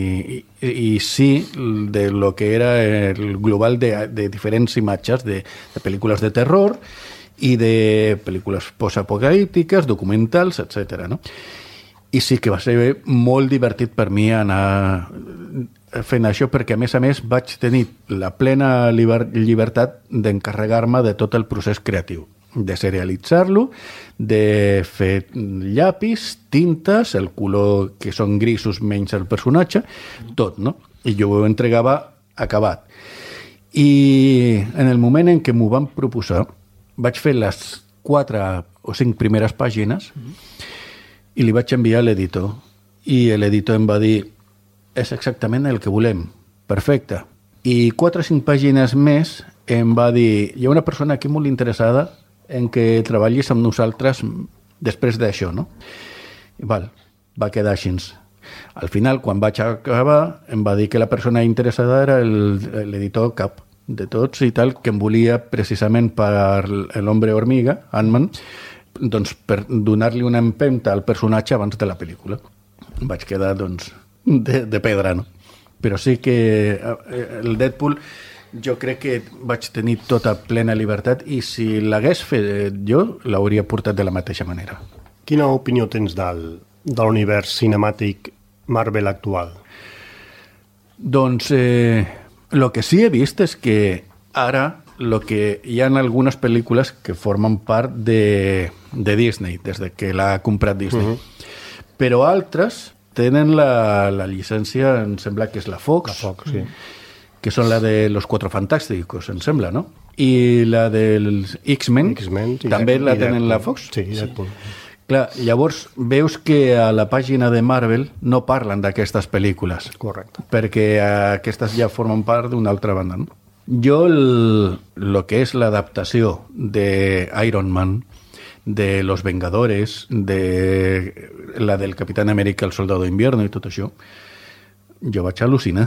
i, i sí de lo que era el global de, de diferents imatges de, de pel·lícules de terror i de pel·lícules postapocalíptiques, documentals, etcètera, no? I sí que va ser molt divertit per mi anar fent això perquè, a més a més, vaig tenir la plena liber, llibertat d'encarregar-me de tot el procés creatiu, de serialitzar-lo, de fer llapis, tintes, el color que són grisos menys el personatge, tot, no? I jo ho entregava acabat. I en el moment en què m'ho van proposar, vaig fer les quatre o cinc primeres pàgines i li vaig enviar a l'editor. I l'editor em va dir, és exactament el que volem, perfecte. I quatre o cinc pàgines més em va dir, hi ha una persona aquí molt interessada en què treballis amb nosaltres després d'això, no? I val, va quedar així. Al final, quan vaig acabar, em va dir que la persona interessada era l'editor cap de tots i tal, que em volia precisament per l'Hombre Hormiga, Ant-Man, doncs per donar-li una empenta al personatge abans de la pel·lícula. Vaig quedar, doncs, de, de pedra, no? Però sí que el Deadpool jo crec que vaig tenir tota plena llibertat i si l'hagués fet jo, l'hauria portat de la mateixa manera. Quina opinió tens del, de l'univers cinemàtic Marvel actual? Doncs eh, el que sí he vist és que ara lo que hi ha algunes pel·lícules que formen part de, de Disney, des de que l'ha comprat Disney. Uh-huh. Però altres tenen la, la llicència, em sembla que és la Fox. La Fox, sí. Que són la de Los Cuatro Fantásticos, em sembla, no? I la dels X-Men, X-Men sí, també la Deadpool. tenen la Fox? Sí, Deadpool. Sí. Clar, llavors veus que a la pàgina de Marvel no parlen d'aquestes pel·lícules. Correcte. Perquè aquestes ja formen part d'una altra banda, no? Jo, el, el que és l'adaptació de Iron Man, de Los Vengadores, de la del Capitán América, el Soldado d'Invierno i tot això, jo vaig al·lucinar.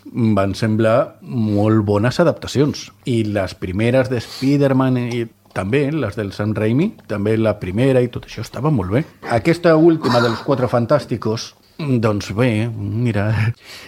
Van semblar molt bones adaptacions. I les primeres de Spider-Man i també, les del Sam Raimi, també la primera i tot això estava molt bé. Aquesta última dels Quatre Fantàsticos, doncs bé, mira,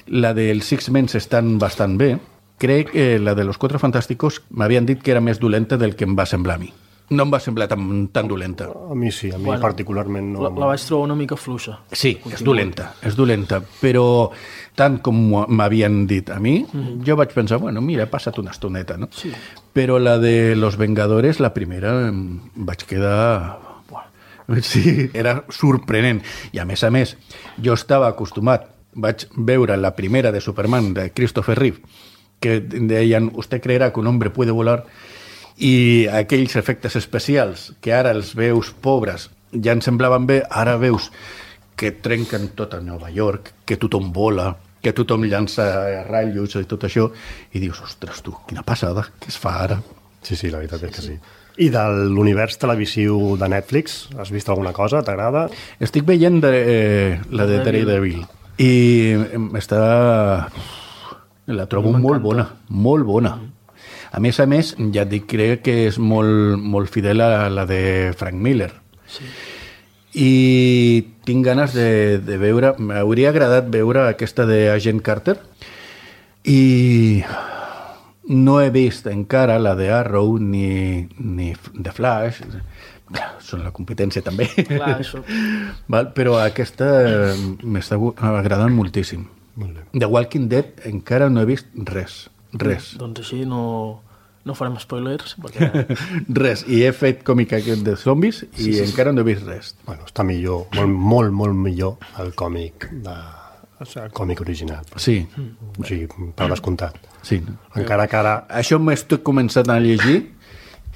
la dels X-Men estan bastant bé. Crec que la de los Cuatro Fantásticos m'havien dit que era més dolenta del que em va semblar a mi. No em va semblar tan, tan dolenta. A mi sí, a mi Bueno, particularment no. La, la vaig trobar una mica fluixa. Sí, és dolenta, és dolenta, però tant com m'havien dit a mi, mm-hmm. jo vaig pensar, bueno, mira, he passat una estoneta, no? Sí. Però la de Los Vengadores, la primera, em vaig quedar... Sí, era sorprenent. I a més a més, jo estava acostumat, vaig veure la primera de Superman, de Christopher Reeve, que deien, usted creerá que un hombre puede volar, i aquells efectes especials que ara els veus pobres ja ens semblaven bé, ara veus que trenquen tot a Nova York, que tothom vola, que tothom llança ratllos i tot això, i dius, ostres tu, quina passada, què es fa ara? Sí, sí, la veritat és que sí. I de l'univers televisiu de Netflix, has vist alguna cosa? T'agrada? Estic veient de, eh, la de Daredevil i està... la trobo molt bona, molt bona. A més a més, ja et dic, crec que és molt, molt fidel a la de Frank Miller. Sí. I tinc ganes de, de veure... M'hauria agradat veure aquesta de Agent Carter i no he vist encara la de Arrow ni, ni The Flash. Clar, són la competència també. Clar, això... Val? Però aquesta m'està agradant moltíssim. Molt bé. The Walking Dead encara no he vist res. Res. Doncs així no, no farem spoilers, perquè... Res. I he fet còmic aquest de zombis i sí, sí, encara no he vist res. Bueno, està millor, molt, molt, molt millor el còmic, de, o sigui, el còmic original. Sí. O sigui, per descomptat. Sí. Encara que ara... Això m'estic començant a llegir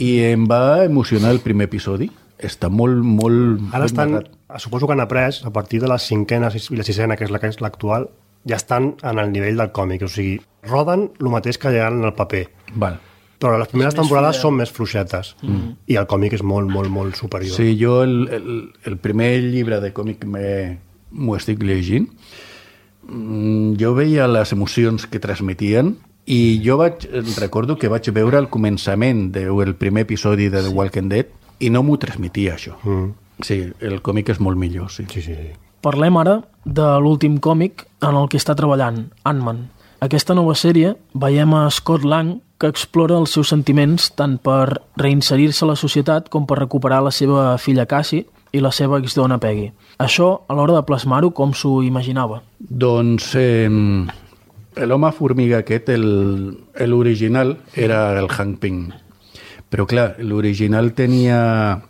i em va emocionar el primer episodi. Està molt, molt... Ara estan, Suposo que han après, a partir de la cinquena i la sisena, que és la que és l'actual, ja estan en el nivell del còmic, o sigui, roden el mateix que llegaran en el paper. Val. Però les primeres És més temporades fidel. són més fluixetes mm. i el còmic és molt, molt, molt superior. Sí, jo el, el, el primer llibre de còmic m'ho estic llegint. Jo veia les emocions que transmetien i jo vaig, recordo que vaig veure el començament del primer episodi de The Walking Dead i no m'ho transmetia, això. Mm. Sí, el còmic és molt millor, sí. Sí, sí, sí. Parlem ara de l'últim còmic en el que està treballant, Ant-Man. Aquesta nova sèrie veiem a Scott Lang, que explora els seus sentiments tant per reinserir-se a la societat com per recuperar la seva filla Cassie i la seva exdona Peggy. Això, a l'hora de plasmar-ho, com s'ho imaginava? Doncs eh, l'home formiga aquest, l'original, era el Hank Pym. Però clar, l'original tenia...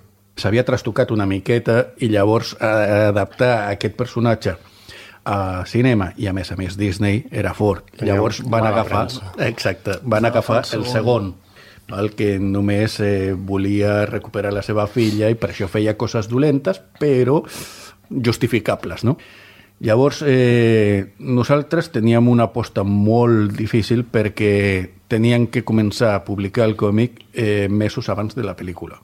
s'havia trastocat una miqueta i llavors eh, adaptar aquest personatge a cinema i a més a més Disney era fort. Tenia Llavors van mala agafar, premsa. exacte, van agafar el segon, el que només eh, volia recuperar la seva filla i per això feia coses dolentes, però justificables, no? Llavors, eh, nosaltres teníem una aposta molt difícil perquè tenien que començar a publicar el còmic eh, mesos abans de la pel·lícula.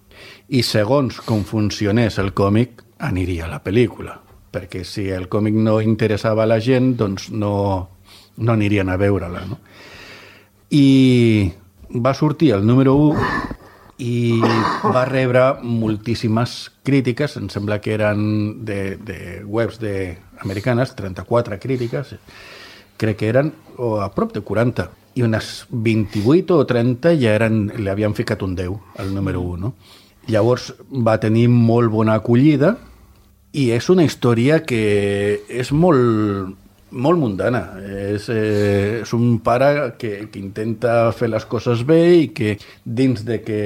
I segons com funcionés el còmic, aniria a la pel·lícula. Perquè si el còmic no interessava a la gent, doncs no, no anirien a veure-la, no? I va sortir el número u i va rebre moltíssimes crítiques, em sembla que eren de, de webs de americanes, trenta-quatre crítiques, crec que eren o a prop de quaranta, i unes vint-i-vuit o trenta ja eren, li havien ficat un deu al número u, no? Llavors va tenir molt bona acollida i és una història que és molt, molt mundana. És, eh, és un pare que, que intenta fer les coses bé i que dins de que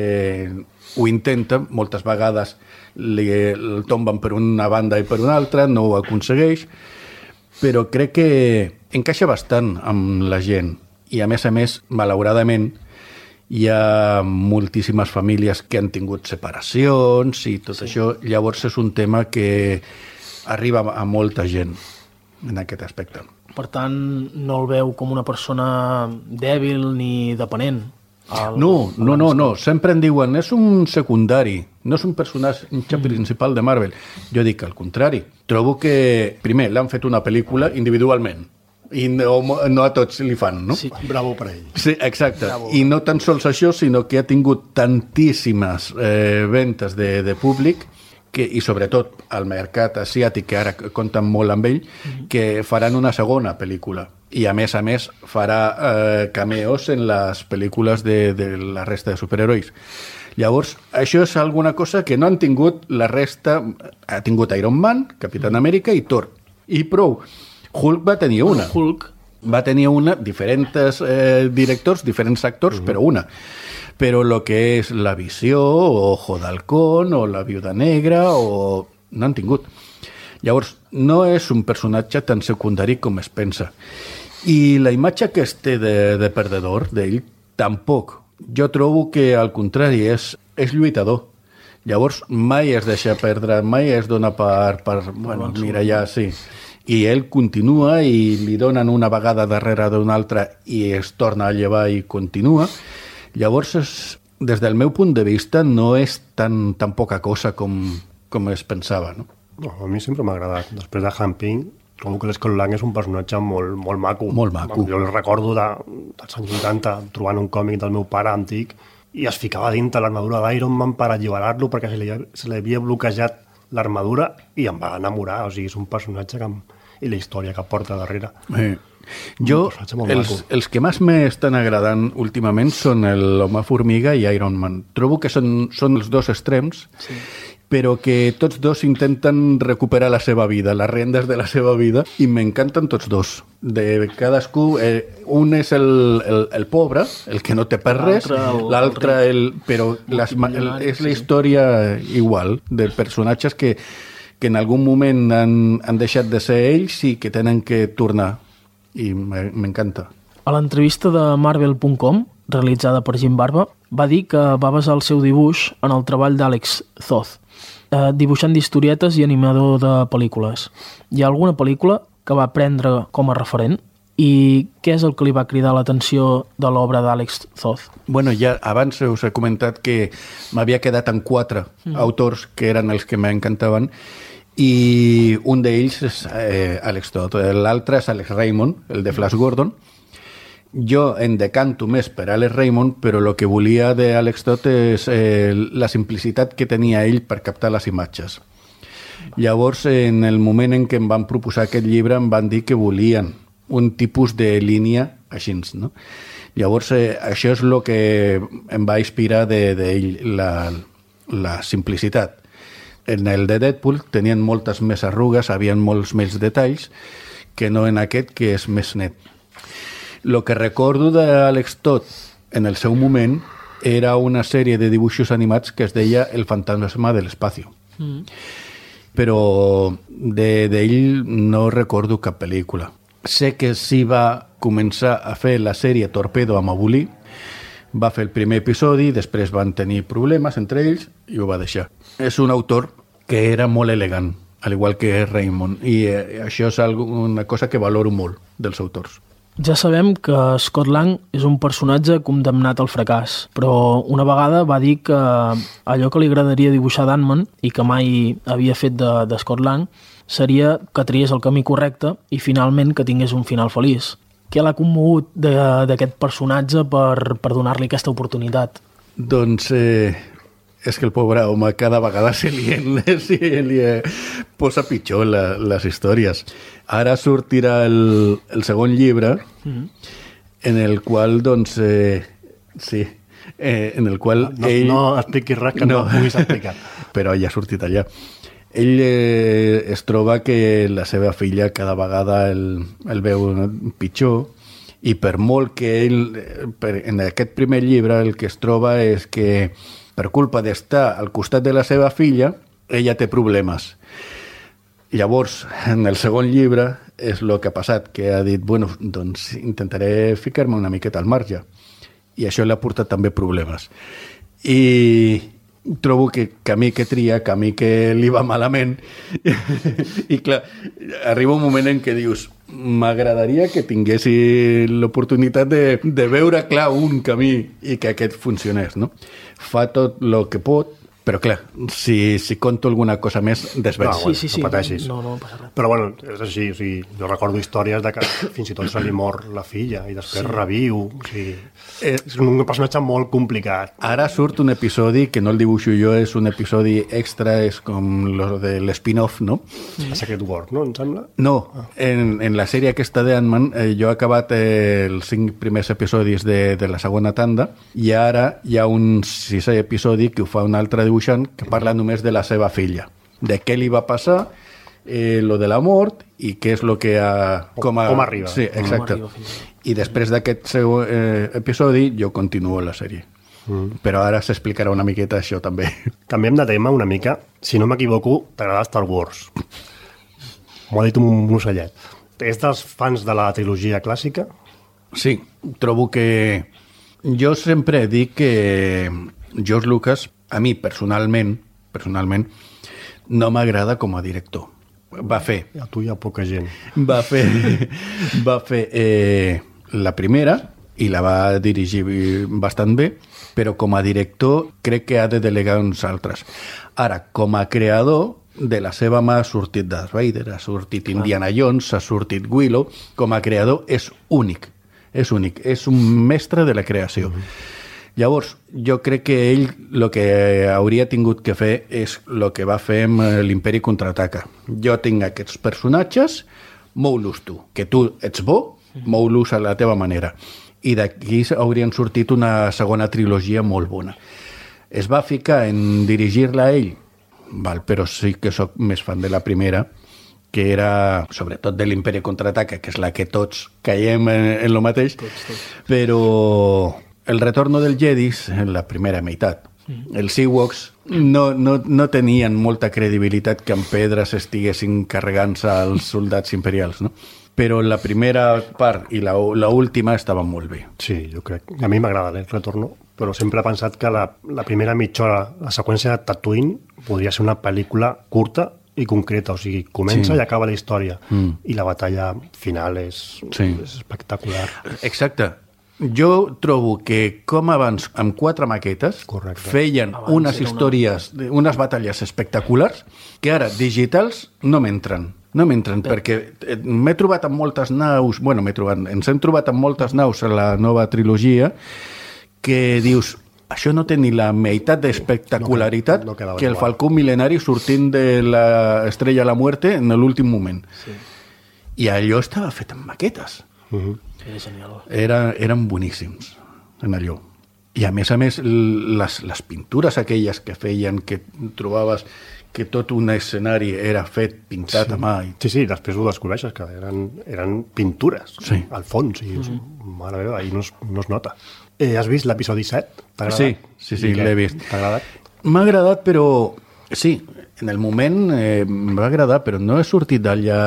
ho intenta, moltes vegades li, el tomben per una banda i per una altra, no ho aconsegueix, però crec que encaixa bastant amb la gent. I a més a més, malauradament, hi ha moltíssimes famílies que han tingut separacions i tot sí. Això. Llavors és un tema que arriba a molta gent en aquest aspecte. Per tant, no el veu com una persona dèbil ni depenent. El, no, no, no, no. Sempre em diuen, és un secundari, no és un personatge mm. principal de Marvel. Jo dic al contrari. Trobo que, primer, l'han fet una pel·lícula individualment. I no, no a tots li fan, no? Sí, bravo per ell. Sí, exacte. Bravo. I no tan sols això, sinó que ha tingut tantíssimes eh, ventes de, de públic que, i sobretot al mercat asiàtic, que ara compten molt amb ell, mm-hmm. que faran una segona pel·lícula. I a més a més farà eh, cameos en les pel·lícules de, de la resta de superherois. Llavors, això és alguna cosa que no han tingut la resta... Ha tingut Iron Man, Capitán Amèrica i Thor. I prou. Hulk va tenir una. Hulk. Va tenir una, diferents eh, directors, diferents actors, uh-huh. però una. Però el que és la Visió, o Ojo d'Halcón, o la Viuda Negra, o... no han tingut. Llavors, no és un personatge tan secundari com es pensa. I la imatge que es té de, de perdedor, d'ell, tampoc. Jo trobo que, al contrari, és, és lluitador. Llavors, mai es deixa perdre, mai es dona per... per bueno, mira, ja, sí... I ell continua i li donen una vegada darrere d'una altra i es torna a llevar i continua. Llavors, és, des del meu punt de vista, no és tan, tan poca cosa com, com es pensava, no? No, a mi sempre m'ha agradat. Després de Hank Pym, trobo que l'Scott Lang és un personatge molt, molt maco. Molt maco. Jo el recordo de, dels anys vuitanta, trobant un còmic del meu pare antic, i es ficava dintre l'armadura d'Iron Man per alliberar-lo perquè se li, se li havia bloquejat l'armadura i em va enamorar. O sigui, és un personatge que... i la història que porta darrere. Eh. Jo, els, els que més m'estan agradant últimament són l'Home Formiga i Iron Man. Trobo que són, són els dos extrems, sí. però que tots dos intenten recuperar la seva vida, les rendes de la seva vida, i m'encanten tots dos. De cadascú, eh, un és el, el, el pobre, el que no té per res, l'altre, el, però les, el, és la història igual, de personatges que que en algun moment han, han deixat de ser ells i que tenen que tornar. I m'encanta. A l'entrevista de Marvel punt com realitzada per Jim Barba, va dir que va basar el seu dibuix en el treball d'Alex Toth, eh, dibuixant d'historietes i animador de pel·lícules. Hi ha alguna pel·lícula que va prendre com a referent? I què és el que li va cridar l'atenció de l'obra d'Alex Toth? Bueno, ja abans us he comentat que m'havia quedat en quatre mm. autors que eren els que m'encantaven i un d'ells és eh, Alex Toth, l'altre és Alex Raymond, el de Flash Gordon. Jo em decanto més per Alex Raymond, però el que volia d'Alex Toth és eh, la simplicitat que tenia ell per captar les imatges. Llavors, en el moment en què em van proposar aquest llibre, em van dir que volien un tipus de línia així, no? Llavors, eh, això és el que em va inspirar d'ell, de, de la, la simplicitat. En el de Deadpool tenien moltes més arrugues, havien molts més detalls, que no en aquest, que és més net. El que recordo d'Alex Toth en el seu moment era una sèrie de dibuixos animats que es deia El fantasma de l'espacio. Mm. Però d'ell no recordo cap pel·lícula. Sé que sí va començar a fer la sèrie Torpedo amb Abulí, va fer el primer episodi, després van tenir problemes entre ells i ho va deixar. És un autor que era molt elegant, al igual que Raymond, i eh, això és una cosa que valoro molt dels autors. Ja sabem que Scott Lang és un personatge condemnat al fracàs, però una vegada va dir que allò que li agradaria dibuixar d'Ant-Man i que mai havia fet de, de Scott Lang seria que triés el camí correcte i finalment que tingués un final feliç. Què l'ha commogut d'aquest personatge per, per donar-li aquesta oportunitat? Doncs eh, és que el pobre home cada vegada se li, se li posa pitjor la, les històries. Ara sortirà el, el segon llibre mm-hmm. en el qual, doncs, eh, sí, eh, en el qual no, ell... No expliquis res que no, no puguis explicar. Però ja ha sortit allà. Ell eh, es troba que la seva filla cada vegada el, el veu pitjor i per molt que ell, per, en aquest primer llibre el que es troba és que per culpa d'estar al costat de la seva filla, ella té problemes. Llavors, en el segon llibre és el que ha passat, que ha dit, bueno, doncs intentaré ficar-me una miqueta al marge. I això li ha portat també problemes. I trobo que camí que tria, camí que li va malament i clar, arriba un moment en què dius m'agradaria que tinguessi l'oportunitat de, de veure clar un camí i que aquest funcionés, no? Fa tot el que pot, però clar, si, si conto alguna cosa més, desveig. No, bueno, sí, sí, sí, no pateixis. No, no, no passa res. Però bueno, és així, o sigui, jo recordo històries de que fins i tot se li mor la filla i després sí. reviu, o sigui, és un personatge molt complicat. Ara surt un episodi que no el dibuixo jo, és un episodi extra, és com lo de l'spin-off, no? A Secret War, no, em sembla? No, ah. en, en la sèrie aquesta d'Ant-Man eh, jo he acabat eh, els cinc primers episodis de, de la segona tanda i ara hi ha un sisè episodi que ho fa un altre dibuixant que parla només de la seva filla, de què li va passar, eh, lo de la mort i què és lo que ha... Com, a, com arriba. Sí, exacte. I després d'aquest seu eh, episodi jo continuo la sèrie. Mm. Però ara s'explicarà una miqueta això també. Canviem de tema una mica. Si no m'equivoco, t'agrada Star Wars. M'ho ha dit un ocellet. És dels fans de la trilogia clàssica? Sí, trobo que... Jo sempre dic que George Lucas, a mi personalment, personalment, no m'agrada com a director. Va fer... A tu hi ha poca gent. Va fer, va fer eh, la primera i la va dirigir bastant bé, però com a director crec que ha de delegar uns altres. Ara, com a creador, de la seva mà ha sortit Darth Vader, ha sortit Indiana Jones, ha sortit Willow. Com a creador és únic, és únic, és un mestre de la creació. Mm-hmm. Llavors, jo crec que ell el que hauria tingut que fer és el que va fer amb l'Imperi Contraataca. Jo tinc aquests personatges, mou-los tu. Que tu ets bo, mou-los a la teva manera. I d'aquí haurien sortit una segona trilogia molt bona. Es va ficar en dirigir-la a ell, val, però sí que sóc més fan de la primera, que era, sobretot de l'Imperi Contraataca, que és la que tots caiem en, en lo mateix, tots, tots. Però... El retorno del Jedi en la primera meitat. Els Ewoks no, no, no tenien molta credibilitat que amb pedres estiguessin carregant-se als soldats imperials, no? però la primera part i la, la última estaven molt bé. Sí, jo crec. A mi m'agrada el retorno, però sempre he pensat que la, la primera mitja hora, la seqüència de Tatooine, podria ser una pel·lícula curta i concreta, o sigui, comença sí. i acaba la història. Mm. I la batalla final és, sí. és espectacular. Exacte. Jo trobo que, com abans, amb quatre maquetes, Correcte. feien abans unes històries, una... unes batalles espectaculars, que ara, digitals, no m'entren. No m'entren, Però... perquè m'he trobat amb moltes naus, bueno, m'he trobat, ens hem trobat amb moltes naus a la nova trilogia, que dius, això no té ni la meitat d'espectacularitat no, no que el Falcó Milenari sortint de l'Estrella a la Muerte en l'últim moment. Sí. I allò estava fet amb maquetes. Uh-huh. Era genial. Era, eren boníssims en allò. I a més a més, les, les pintures aquelles que feien, que trobaves que tot un escenari era fet, pintat sí. a mà. I... Sí, sí, després ho descobreixes, que eren, eren pintures sí. al fons. I dius, mm-hmm. mare meva, ahir no es, no es nota. Eh, has vist l'episodi set? T'ha agradat? Sí, sí, sí l'he vist. T'ha agradat? M'ha agradat, però... Sí, en el moment eh, em va agradar, però no he sortit d'allà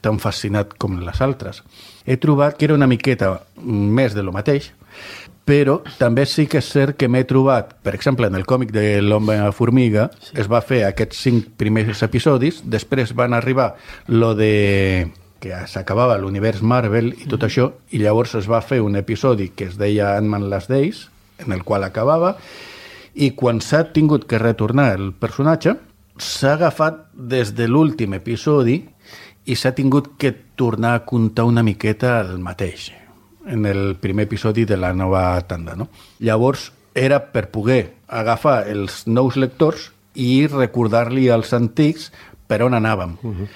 tan fascinat com les altres. He trobat que era una miqueta més de lo mateix, però també sí que és cert que m'he trobat, per exemple, en el còmic de l'Home Formiga, sí. es va fer aquests cinc primers episodis, després van arribar lo de que s'acabava l'univers Marvel i tot mm-hmm. això, i llavors es va fer un episodi que es deia Ant-Man Last Days, en el qual acabava, i quan s'ha tingut que retornar el personatge, s'ha agafat des de l'últim episodi i s'ha tingut que tornar a contar una miqueta el mateix en el primer episodi de la nova tanda, no? Llavors era per poder agafar els nous lectors i recordar-li als antics per on anàvem. Uh-huh.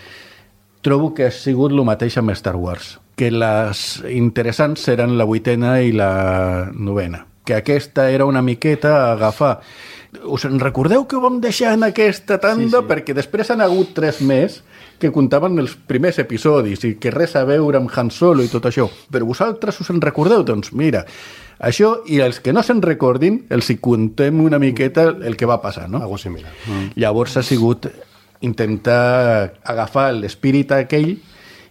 Trobo que ha sigut el mateix amb Star Wars, que les interessants eren la vuitena i la novena, que aquesta era una miqueta agafar. Us en recordeu que ho vam deixar en aquesta tanda? Sí, sí. Perquè després han hagut tres més que contaven els primers episodis i que res a veure amb Han Solo i tot això. Però vosaltres us en recordeu? Doncs mira, això, i els que no se'n recordin, els hi contem una miqueta el que va passar, no? Algo similar. Mm. Llavors ha sigut intentar agafar l'espírit aquell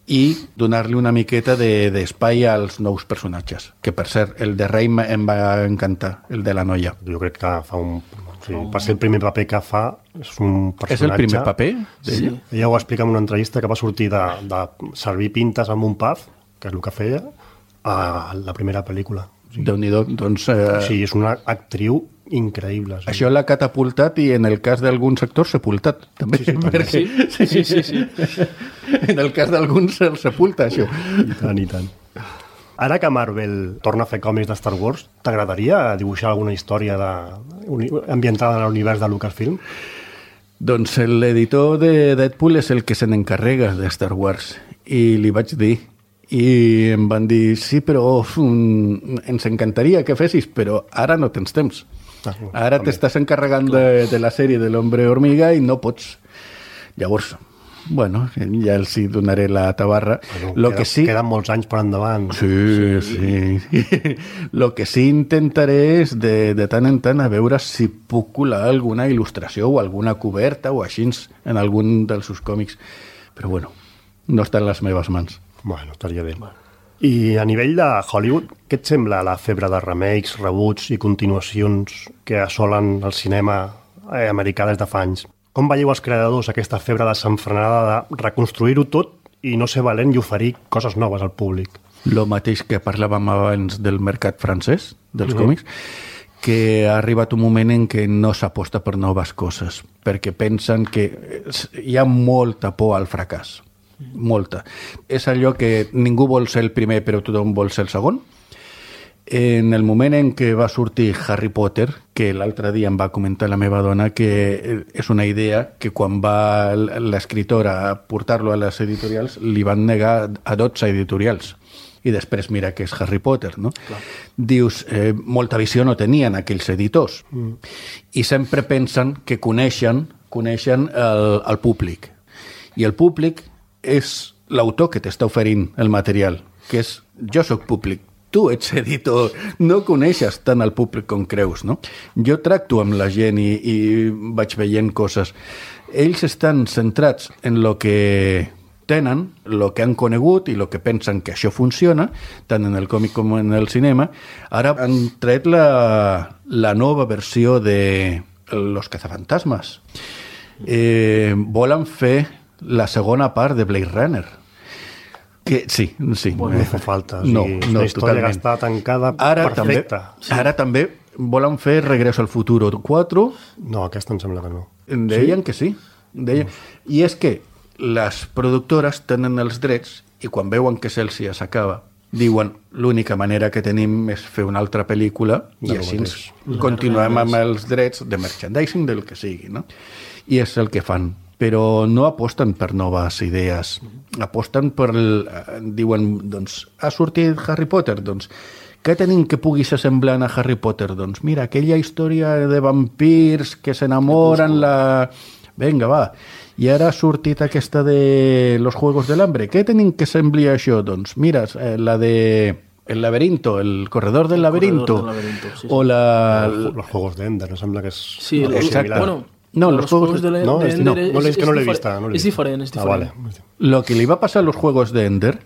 i donar-li una miqueta d'espai de, als nous personatges. Que, per cert, el de Rey em va encantar, el de la noia. Jo crec que fa un... Sí, per ser el primer paper que fa, és un personatge... És el primer paper? Sí. Ella ho explica en una entrevista que va sortir de, de servir pintes amb un pub, que és el que feia, a la primera pel·lícula. O sigui, Déu-n'hi-do, doncs... Eh... Sí, és una actriu increïble. Sí. Això l'ha catapultat i en el cas d'alguns actors sepultat, també. Sí, sí, també. Sí, sí, sí, sí. En el cas d'alguns el sepulta, això. I tant, i tant. Ara que Marvel torna a fer còmics de Star Wars, t'agradaria dibuixar alguna història de, ambientada en l'univers de Lucasfilm? Doncs l'editor de Deadpool és el que se n'encarrega de Star Wars i li vaig dir i em van dir, sí, però um, ens encantaria que fessis, però ara no tens temps. Ah, ara t'estàs encarregant de, de la sèrie de l'Hombre Hormiga i no pots. Llavors, bueno, ja els hi donaré la tabarra. Bueno, Lo queda, que sí... Queden molts anys per endavant. Sí, sí. sí. Lo que sí intentaré és de, de tant en tant a veure si puc colar alguna il·lustració o alguna coberta o així en algun dels seus còmics. Però bueno, no està en les meves mans. Bueno, estaria bé. I a nivell de Hollywood, què et sembla la febre de remakes, reboots i continuacions que assolen el cinema americà des de fa anys? Com veieu els creadors aquesta febre desenfrenada de reconstruir-ho tot i no ser valent i oferir coses noves al públic? Lo mateix que parlàvem abans del mercat francès, dels uh-huh. còmics, que ha arribat un moment en què no s'aposta per noves coses, perquè pensen que hi ha molta por al fracàs. Molta. És allò que ningú vol ser el primer, però tothom vol ser el segon. En el moment en què va sortir Harry Potter, que l'altre dia em va comentar la meva dona que és una idea que quan va l'escriptora a portar-lo a les editorials li van negar a dotze editorials. I després mira que és Harry Potter, no? Clar. Dius, eh, molta visió no tenien aquells editors. Mm. I sempre pensen que coneixen, coneixen el, el públic. I el públic és l'autor que t'està oferint el material, que és jo soc públic. Tu ets editor, no coneixes tant el públic com creus, no? Jo tracto amb la gent i, i vaig veient coses. Ells estan centrats en lo que tenen el que han conegut i el que pensen que això funciona, tant en el còmic com en el cinema. Ara han tret la, la nova versió de Los cazafantasmas. Eh, volen fer la segona part de Blade Runner. Que, sí, sí. Bueno, no fa falta. O sigui, No, és no, una història totalment. que està tancada Ara perfecta. també, ara també volen fer Regreso al Futuro quatre. No, aquesta em sembla que no. Em deien que sí. Deien. I és que les productores tenen els drets i quan veuen que se'ls ja s'acaba, diuen l'única manera que tenim és fer una altra pel·lícula i De lo així ens mateix. continuem amb els drets de merchandising del que sigui, no? I és el que fan. Però no aposten per noves idees. Aposten per... El, diuen, doncs, ha sortit Harry Potter, doncs, què tenim que pugui ser semblant a Harry Potter? Doncs mira, aquella història de vampirs que s'enamoren, la... Vinga, va. I ara ha sortit aquesta de Los Juegos del Hambre. Què tenim que sembli a això? Doncs mira, eh, la de El laberinto, el corredor del laberinto. Corredor del laberinto, sí, sí. O la... Los Juegos d'Ender, em sembla que és... Sí, algo el- similar. bueno, No, los, los juegos de, de- no, de este Ender no, es- no l'he- es que no l'he difer- vista, no l'he es vista. diferent, es Ah, diferent. vale. Lo que li va passar a los Juegos d'Ender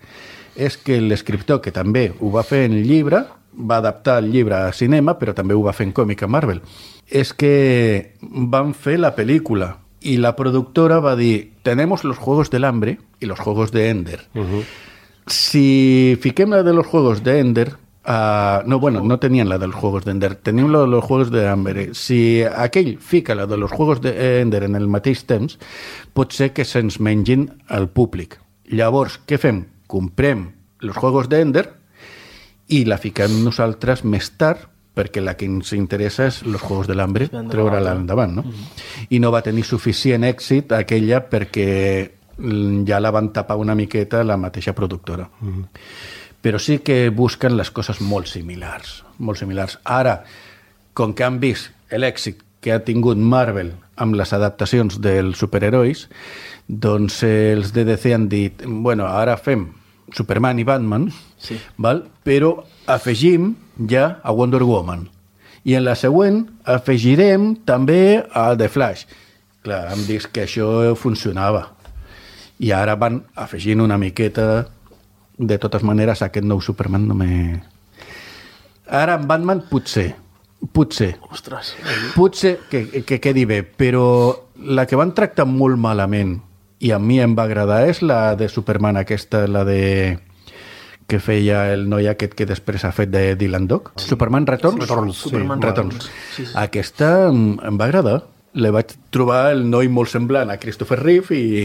és que l'escriptor, que també ho va fer en llibre, va adaptar el llibre a cinema, però també ho va fer en còmic a Marvel, és que van fer la pel·lícula i la productora va dir tenemos los Juegos del Hambre y los Juegos de Ender. Uh-huh. Si fiquem la de los Juegos de Ender, uh, no, bueno, no tenien la dels Juegos de Ender, tenim la de los Juegos de Hambre. Si aquell fica la de los Juegos de Ender en el mateix temps, pot ser que se'ns mengin al públic. Llavors, què fem? Comprem los Juegos de Ender i la fiquem nosaltres més tard, perquè la que ens interessa és los Juegos de l'Hambre, treure-la endavant, no? Mm-hmm. I no va tenir suficient èxit aquella perquè ja la van tapar una miqueta la mateixa productora. Mm-hmm. Però sí que busquen les coses molt similars, molt similars. Ara, com que han vist l'èxit que ha tingut Marvel amb les adaptacions dels superherois, doncs els de D C han dit, bueno, ara fem Superman i Batman, Sí. val? Però afegim ja a Wonder Woman. I en la següent afegirem també a The Flash. Clar, hem dit que això funcionava. I ara van afegint una miqueta. De totes maneres, aquest nou Superman no me... Ara en Batman potser, potser, Ostres. potser que, que quedi bé, però la que van tractar molt malament i a mi em va agradar és la de Superman aquesta, la de que feia el noi aquest que després ha fet de Dylan Dog. Superman Returns? Returns, sí. Superman Returns. Sí, sí. Aquesta em, em va agradar. Le vaig trobar el noi molt semblant a Christopher Reeve i,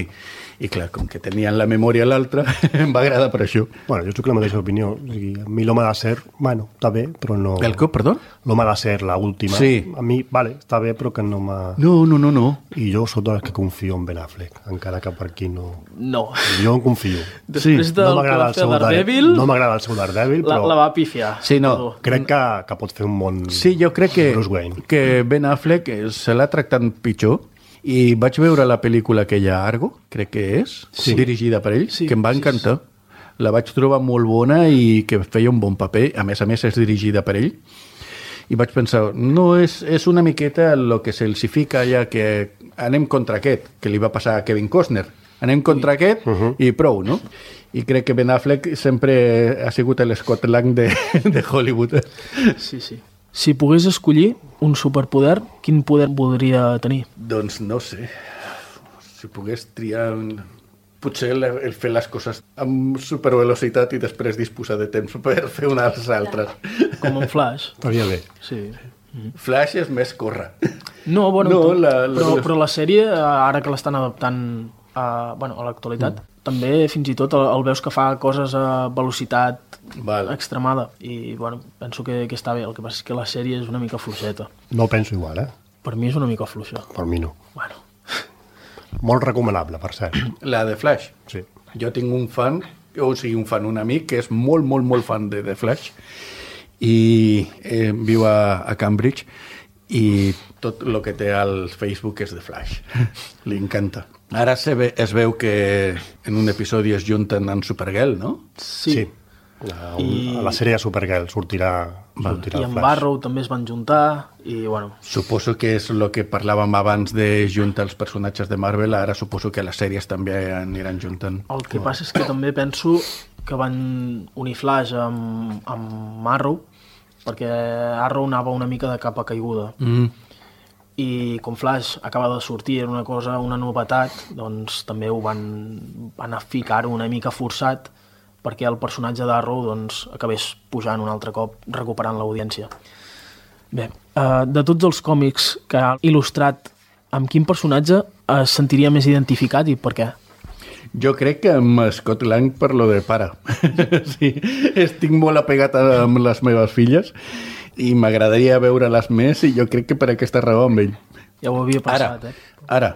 i clar, com que tenien la memòria a l'altre, em va agradar per això. Bueno, jo estic la mateixa opinió. O sigui, a mi l'home de ser, bueno, està bé, però no... El cop, perdó? L'home de ser, la última. Sí. A mi, vale, està bé, però que no m'ha... No, no, no, no. I jo sóc dels que confio en Ben Affleck, encara que per aquí no... No. Jo en confio. Després del no que m'agrada va el fer seu Daredevil, No m'agrada el seu Daredevil, la, però la va pifiar. Sí, no. Perdó. crec que, que pot fer un bon... Sí, jo crec que, Bruce Wayne. que Ben Affleck se l'ha tractat pitjor i vaig veure la pel·lícula aquella Argo, crec que és, Sí. dirigida per ell, Sí, que em va sí, encantar. La vaig trobar molt bona i que feia un bon paper. A més a més, és dirigida per ell. I vaig pensar, no, és, és una miqueta el que se'ls fica ja que anem contra aquest, que li va passar a Kevin Costner. Anem contra aquest Uh-huh. i prou, no? I crec que Ben Affleck sempre ha sigut l'Scott Lang de, de Hollywood. Sí, sí. Si pogués escollir un superpoder, quin poder voldria tenir? Doncs no sé. Si pogués triar... Un... Potser el, el fer les coses amb supervelocitat i després disposar de temps per fer unes altres. Com en Flash. Estaria bé. Sí. Flash és més córrer. No, bueno, No, tu- la- la- però, però la sèrie, ara que l'estan adaptant a, bueno, a l'actualitat, mm. també fins i tot el, el veus que fa coses a velocitat Val. extremada i bueno, penso que, que està bé. El que passa és que la sèrie és una mica fluixeta. No penso igual, eh? Per mi és una mica fluixa. Per mi no. Bueno, Molt recomanable, per cert. La de Flash. Sí. Jo tinc un fan, o sigui, un fan, un amic, que és molt, molt, molt fan de The Flash i eh, viu a, a Cambridge i tot el que té al Facebook és The Flash. Li encanta. Ara se ve, es veu que en un episodi es junten amb Supergirl, no? sí. Sí. A, un, I... a la sèrie de Supergirl sortirà, sortirà I el amb Flash. Arrow també es van juntar i, bueno... Suposo que és el que parlàvem abans de juntar els personatges de Marvel, ara suposo que les sèries també aniran juntant. El que passa és que també penso que van unir Flash amb, amb Arrow, perquè Arrow anava una mica de capa caiguda. Mm. I com Flash acaba de sortir, era una cosa, una novetat, doncs també ho van, van ficar-ho una mica forçat perquè el personatge d'Arrow doncs, acabés pujant un altre cop, recuperant l'audiència. Bé, uh, de tots els còmics que ha il·lustrat, amb quin personatge es sentiria més identificat i per què? Jo crec que amb Scott Lang per lo de pare. Sí, estic molt apegat amb les meves filles i m'agradaria veure-les més i jo crec que per aquesta raó amb ell. Ja ho havia passat, ara, eh? Ara,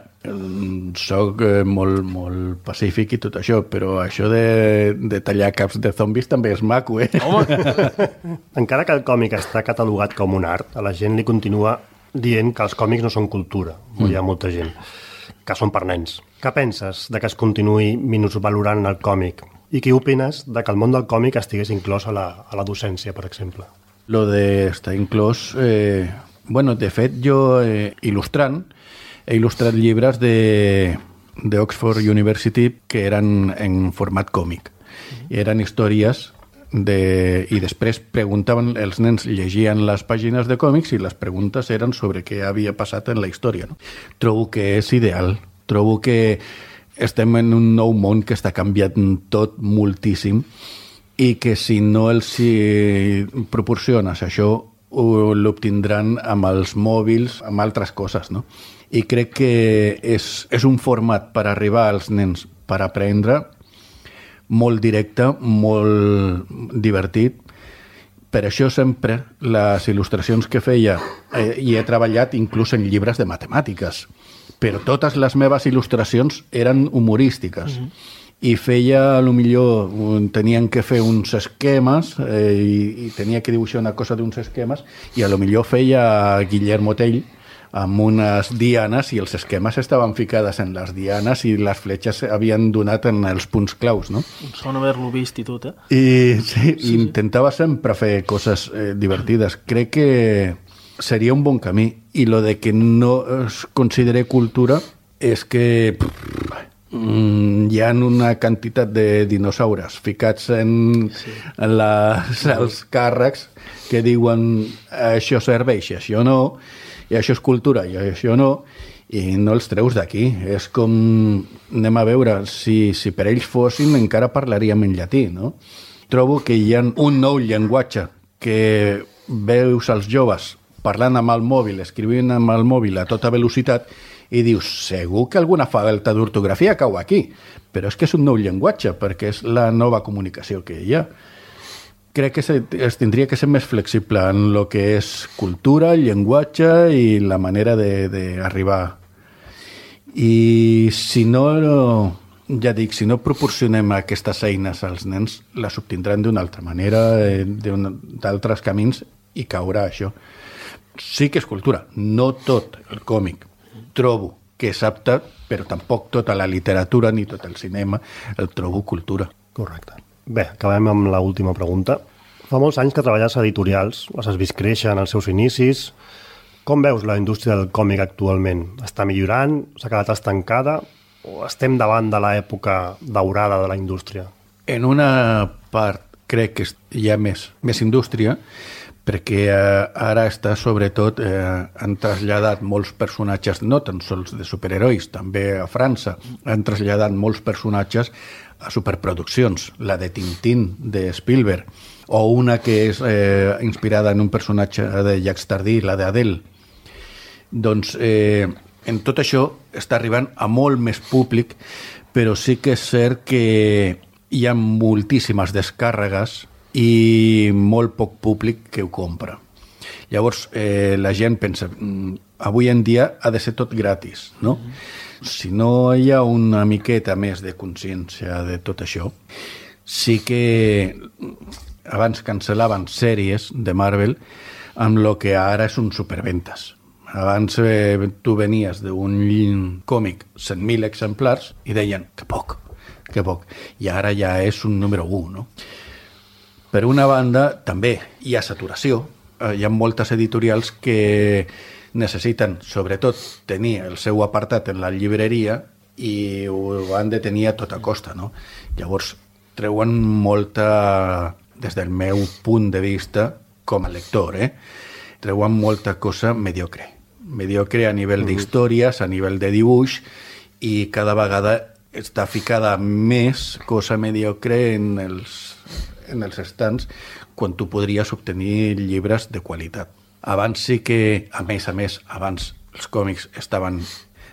soc molt, molt pacífic i tot això, però això de, de tallar caps de zombis també és maco, eh? Home! Encara que el còmic està catalogat com un art, a la gent li continua dient que els còmics no són cultura, mm. hi ha molta gent, que són per nens. Què penses de que es continuï minusvalorant el còmic? I què opines de que el món del còmic estigués inclòs a la, a la docència, per exemple? Lo de estar inclòs... Eh, bueno, de fet, jo eh, il·lustrant, he il·lustrat llibres de, de Oxford University que eren en format còmic. I eren històries de, i després preguntaven, els nens llegien les pàgines de còmics i les preguntes eren sobre què havia passat en la història. No? Trobo que és ideal. Trobo que estem en un nou món que està canviant tot moltíssim i que si no els hi proporciones això, l'obtindran amb els mòbils, amb altres coses, no? I crec que és, és un format per arribar als nens per aprendre molt directe, molt divertit. Per això sempre les il·lustracions que feia, eh, i he treballat inclús en llibres de matemàtiques, però totes les meves il·lustracions eren humorístiques. Mm-hmm. I feia, a lo millor, tenien que fer uns esquemes eh, i, i tenia que dibuixar una cosa d'uns esquemes i a lo millor feia Guillermo Tell amb unes dianes i els esquemes estaven ficades en les dianes i les fletxes havien donat en els punts claus, no? Sona haver-lo vist i tot, eh? I sí, sí, intentava sempre fer coses eh, divertides. Crec que seria un bon camí. I lo de que no es considere cultura és que... Pff, Mm, hi ha una quantitat de dinosaures ficats en, sí. en les, els càrrecs que diuen això serveix, això no, i això és cultura, i això no, i no els treus d'aquí. És com, anem a veure, si, si per ells fossin encara parlaríem en llatí, no? Trobo que hi ha un nou llenguatge que veus als joves parlant amb el mòbil, escrivint amb el mòbil a tota velocitat, i dius, segur que alguna falta d'ortografia cau aquí, però és que és un nou llenguatge, perquè és la nova comunicació que hi ha. Crec que se, es tindria que ser més flexible en el que és cultura, llenguatge i la manera d'arribar. I si no, ja dic, si no proporcionem aquestes eines als nens, les obtindran d'una altra manera, d'altres camins, i caurà això. Sí que és cultura, no tot el còmic. Trobo que és apte, però tampoc tota la literatura ni tot el cinema el trobo cultura. Correcte. Bé, acabem amb l'última pregunta. Fa molts anys que treballes a editorials, les has vist créixer en els seus inicis. Com veus la indústria del còmic actualment? Està millorant? S'ha quedat estancada? O estem davant de l'època daurada de la indústria? En una part crec que hi ha més, més indústria, perquè eh, ara està sobretot eh, han traslladat molts personatges, no tan sols de superherois, també a França han traslladat molts personatges a superproduccions, la de Tintín de Spielberg, o una que és eh, inspirada en un personatge de Jacques Tardy, la d'Adele. Doncs eh, en tot això està arribant a molt més públic, però sí que és cert que hi ha moltíssimes descàrregues i molt poc públic que ho compra. Llavors, eh, la gent pensa, avui en dia ha de ser tot gratis, no? Mm-hmm. Si no hi ha una miqueta més de consciència de tot això, sí que abans cancel·laven sèries de Marvel amb el que ara és un superventes. Abans eh, tu venies d'un còmic cent mil exemplars i deien, que poc, que poc. I ara ja és un número u, no? Per una banda, també hi ha saturació. Hi ha moltes editorials que necessiten, sobretot, tenir el seu apartat en la llibreria i ho han de tenir a tota costa, no? Llavors, treuen molta, des del meu punt de vista, com a lector, eh? treuen molta cosa mediocre. Mediocre a nivell d'històries, a nivell de dibuix, i cada vegada està ficada més cosa mediocre en els, en els estants quan tu podries obtenir llibres de qualitat. Abans sí que, a més a més, abans els còmics estaven...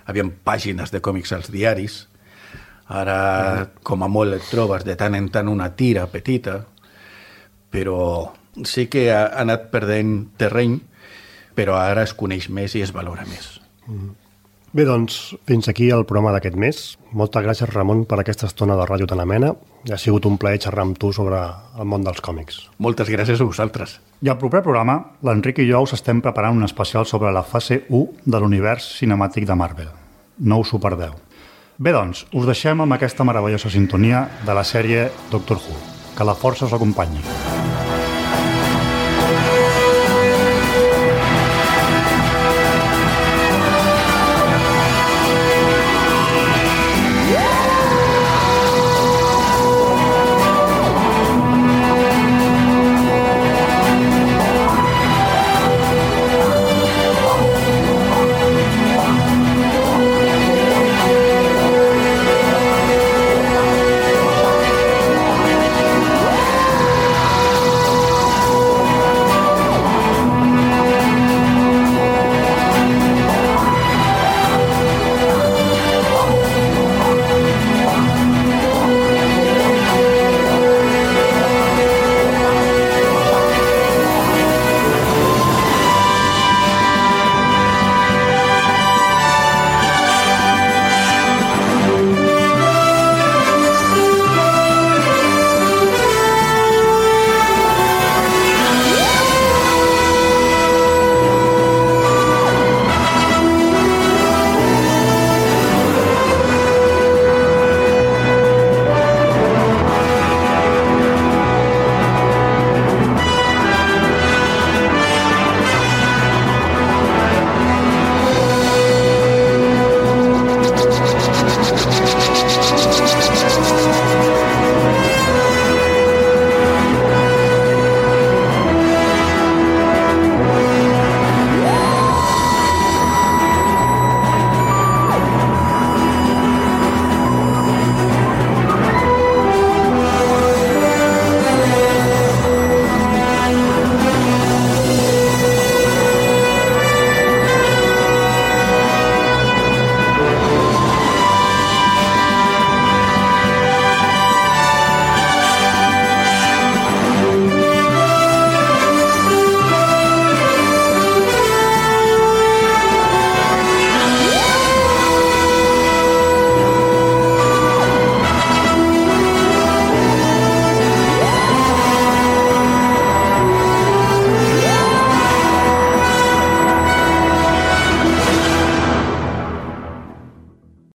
Havien pàgines de còmics als diaris. Ara, com a molt, et trobes de tant en tant una tira petita, però sí que ha anat perdent terreny, però ara es coneix més i es valora més. Bé, doncs, fins aquí el programa d'aquest mes. Moltes gràcies, Ramon, per aquesta estona de ràdio tan amena. Ha sigut un plaer xerrar amb tu sobre el món dels còmics. Moltes gràcies a vosaltres. I al proper programa, l'Enric i jo us estem preparant un especial sobre la fase u de l'univers cinemàtic de Marvel. No us ho perdeu. Bé, doncs, us deixem amb aquesta meravellosa sintonia de la sèrie Doctor Who. Que la força us acompanyi.